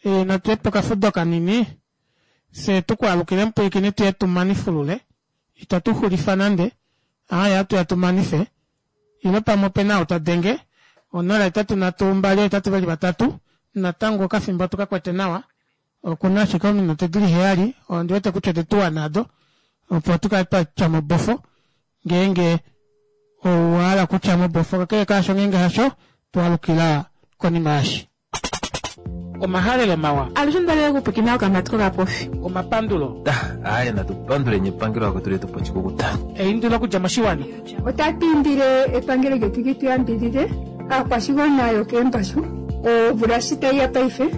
e, natuye pokafudo kanini fye tukwaalukile mupwilikini tuye tumanifulule itatu xulifa nande aaye atuya tumanife ile pamwe opena ou ta denge 0 8 3 2 8 2 3 natango okafimbo tukakwete nawa Okuna ashike ominute dili heyali, ondi wete kutya ode tu wana ado, opo tu kale twa tya mobofo ngeenge owa hala okutya mobofo, kakele kaasho ngeenge hasho, tu alukila konima yashi. Omahalelo mawa. Alushe onda lela okupwiikina okamati kokapofi. Omapandulo. Aaye natu panduleni epangelo akwetu letu po oshikukuta. Eindilo okudja moshiwana. Otatu indile epangelo lyetu li tu yambidhidhe aakwashigwana yokeembashu. Omvula shi tayi ya paife,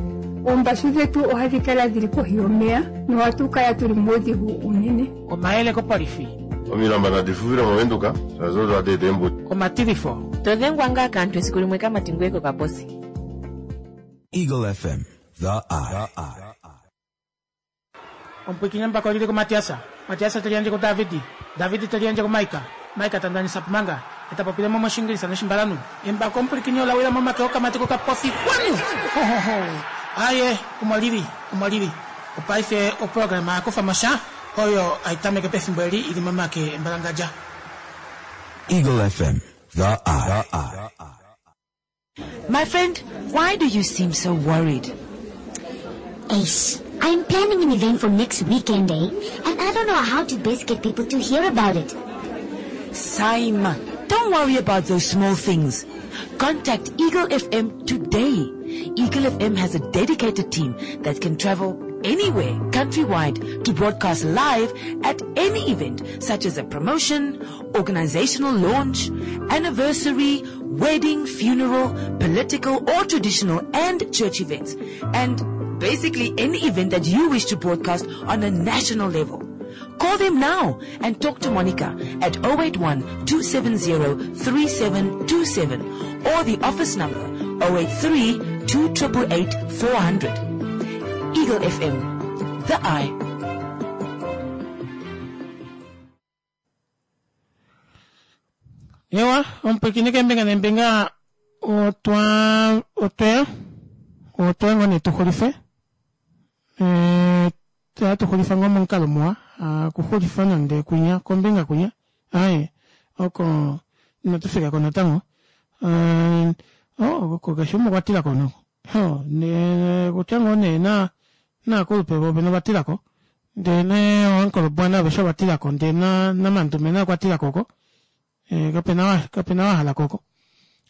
oombashu dhetu ohadhi kala dhili kohi yomeya nohatu kala tuli muudhigu uunene. Omayele kopolifi. Omilamba nadi fufile mOvenduka, shaashi odo hadi eta eembuto. Omatilifo. To dhengwa ngaa kaantu esiku limwe kamati ngoye kokaposi. Eagle FM, the eye. Omupwiikini embako oli li kuMatias. Matias te liyandje kuDavid. David te liyandje kuMaika. Maika ta ndanisa Pumanga. Ye ta popile mo mOshiingilisa nOshimbalanhu. Embako omupwilikini ola wila momake okamati kokapofi. Kwanu! Ho, ho, ho! Aye, omo li li. Omo li li. Opaife oprograma ya kufa mo sha, oyo hai tameke pefimbo eli i li momake embalangadja. Eagle FM, the eye. My friend, why do you seem so worried? Ace, I'm planning an event for next weekend, eh? And I don't know how to best get people to hear about it. Saima, don't worry about those small things. Contact Eagle FM today. Eagle FM has a dedicated team that can travel anywhere countrywide to broadcast live at any event such as a promotion, organizational launch, anniversary, wedding, funeral, political or traditional and church events. And basically any event that you wish to broadcast on a national level. Call them now and talk to Monica at 081 270 3727 or the office number 083 2888 400. Eagle FM, the eye. Ewa, omupwiikini keembinga neembinga otwa otweya otweya ngoo nee tu xulife eh, ohatu xulifa ngoo momukalo muwa akuxulifa nande kwinya kombinga kwinya aye oko inatu fika ko natango eh, oh, oko keshe umwe okwa tila ko noko oh, ne kutya ngoo nee na naakulupe vovene ova tila ko ndee ne ooankolobwana aveshe ova tila ko ndee na namandume naye okwa tila ko oko eh, kapena kapena wa hala ko oko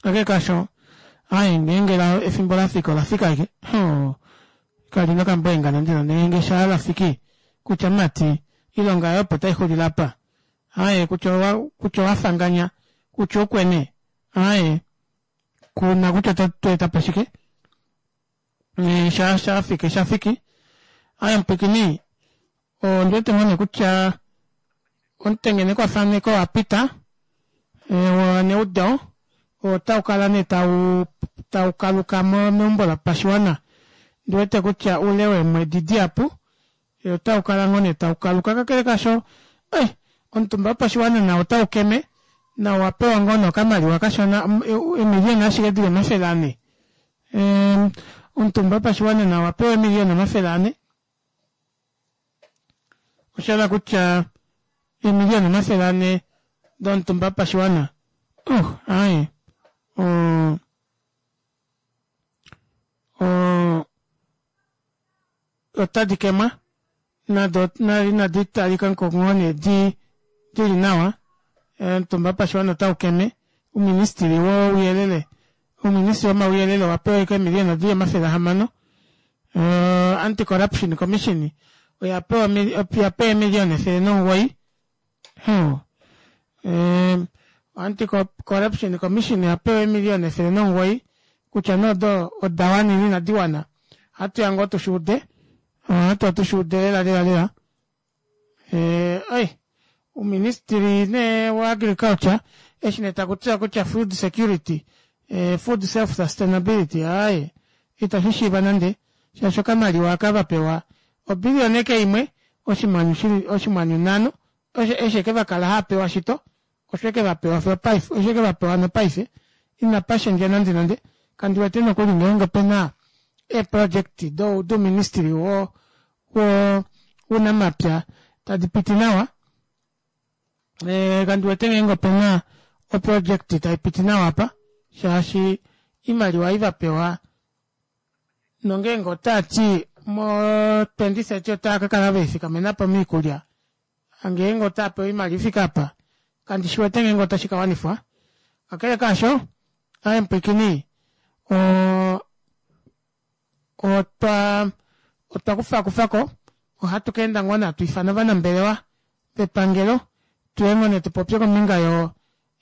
kakele kaasho aye ngeenge la efimbo la fika ola fika ashike oh, kali nokambwenga nande nande ngeenge sha la fiki kutya mati ilonga yoye opo tai xulile apa aye kutya owa kutya owa fanganya kutya ukwene aye kuna kutya oto eta po shike eh, sha sha fiki sha fiki aye mupwikini ondi wete ngoo nee kutya omutengenekwafaneko wa pita eh, waneudo otau kala nee tau tau kaluka meumbo lopashiwana ndi wete kutya ule weemwedi dihapu eh, otau kala ngoo nee tau kaluka kakele kasho eh, omutumba wopashiwana nao otau keme nao wa pewa ngoo nee okamaliwa kashona emiliyona ashike dili 400 omutumba wopashiwana nao wa pewa emiliyona 400 osha hala kutya eemiliyona 400 domutumba wopashiwana oh aye o o otadi kemwa nado inadi talika ko ngoo nee di dili nawa. Omutumba wopashiwana otau keme, ouministili wouyelele ouministili womauyelele owa pewa ashike eemiliyona dili 600. Anti Corruption Commission oya pewa oya pewa eemiliyona 109. Anti Corruption Commission oya pewa eemiliyona 109 kutya nee odo oda wana ile inadi wana ohatu ya ngoo tushi ude ohatu ya tushi ude lela lela lela. Oi ouministili nee wa agriculture eshi nee taku tiwa kutya food security food self sustainability aaye itashi shiiva nande shaashi okamaliwa aka va pewa obiliyona eke imwe oshimwanyu shili oshimwanyu nhano eshi eke va kala hava pewa shito osho eke va pewa fiyo paife osho eke va pewa nopaife inapa shendja nande nande kandi wete nokuli ngeenge opena eeproject douministili wo wounamapya tadi piti nawa kandi wete ngeenge opena oproject tai piti nawa apa shaashi oimaliwa ei va pewa nongeenge otaa ti mo 2030 otaa ka kala velifikamena po moikulya ngeenge otaa pewa oimaliwa ifike apa kandi shi wete ngeenge otashi ka wanifwa kakele kaasho aaye mupwiikini otwa otwa kufakufako ohatu ka enda ngoo nee hatu ifana ovanambelewa vepangelo tuye ngoo nee tupopye kombinga yo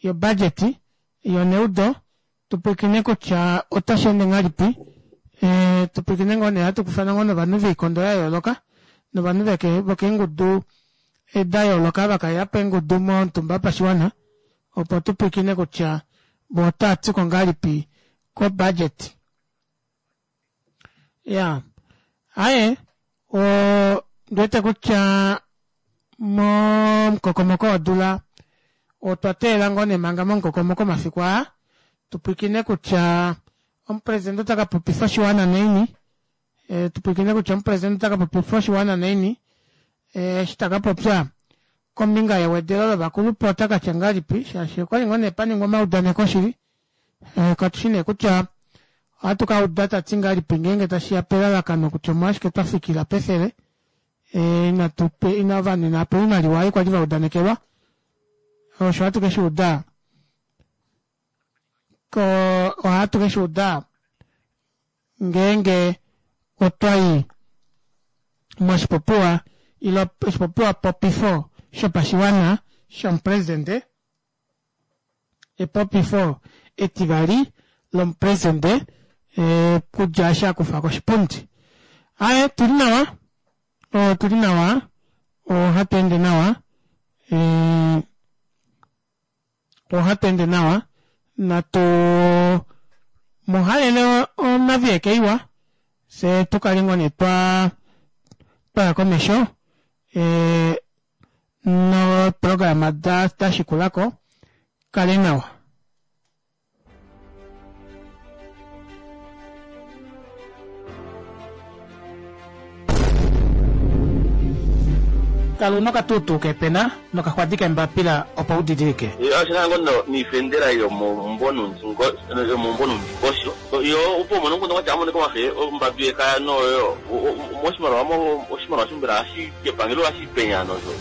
yo budget yoneudo tupwiikine kutya otashi ende ngahelipi tupwiikine ngoo nee hatu kufana ngoo novanhu voikondo ya yooloka novanhu vokeengudu da yooloka vakalela po eengudu momutumba wopashiwana opo tupwiikine kutya vo otava tiko ngahelipi ko budget. Ya aaye ondiwete kutya momukokomoko wodula otwa teelela ngoo nee manga momukokomoko omafiku aa tupwiikine kutya omupresidente ota ka popifa oshiwana naini tupwiikine kutya omupresidente ota ka popifa oshiwana naini eshi ta ka popya kombinga yewedelo lovakulupe ota ka tya ngahelipi shaashi okwali ngoo nee pa ningwa omaudaneko shili Katu shi nee kutya ohatu ka uda ta ti ngahelipi ngeenge tashi ya pelalakano kutya omolwashike twa fikila pefele inatu ina ovanhu inava pewa oimaliwa ei kwali va udanekelwa. Osho ohatu ke shi uda ko ohatu ke shi uda ngeenge otwa i moshipopiwa ile oshipopiwa popifo shopashiwana shomupresidente Epopifo etivali lomupresidente okudja eshi a kufa koshipundi. Aaye, tuli nawa, otuli nawa, ohatu ende nawa, ohatu ende nawa, natu mu halele onavieke iwa, fye tu kale ngoo nee twa twaya komesho noprograma da shikulako kale nawa. Kala una okatuutuu keepena nokaxwadi keembapila opo u didilike. Osho ngo niifendela yomomumvo nuundingosho yo opo umone omukundu gwatya amoneka wafe ombambi yekaya noyo moshimaliwa oshimaliwa shombela hashi kepangelo hashi penya nosho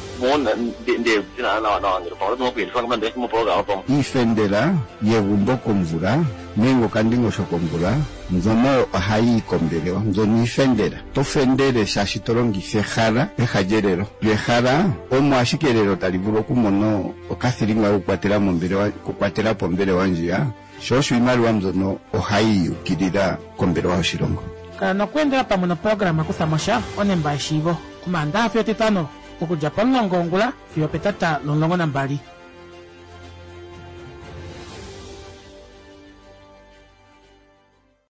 Iifendela yegumbo komvula nenge okandingosho komvula mbyono ohayi yi kombelewa. Mbyono iifendela. To fendele shaashi to longitha ehala peha lyelelo. Lyo ehala omo ashike elelo tali vulu okumona okathilinga kokukwatela mombelewa, okukwatela po ombelewa ndjiya. Sho osho iimaliwa mbyono ohayi yukilila kombelewa yoshilongo. Kala nokweendela pamwe noprograma Kutha mo sha, Onemba yeshiivo, Omaandaha fiyo Etitano, okudja pomulongo wongula fiyo opetata lomulongo nambali.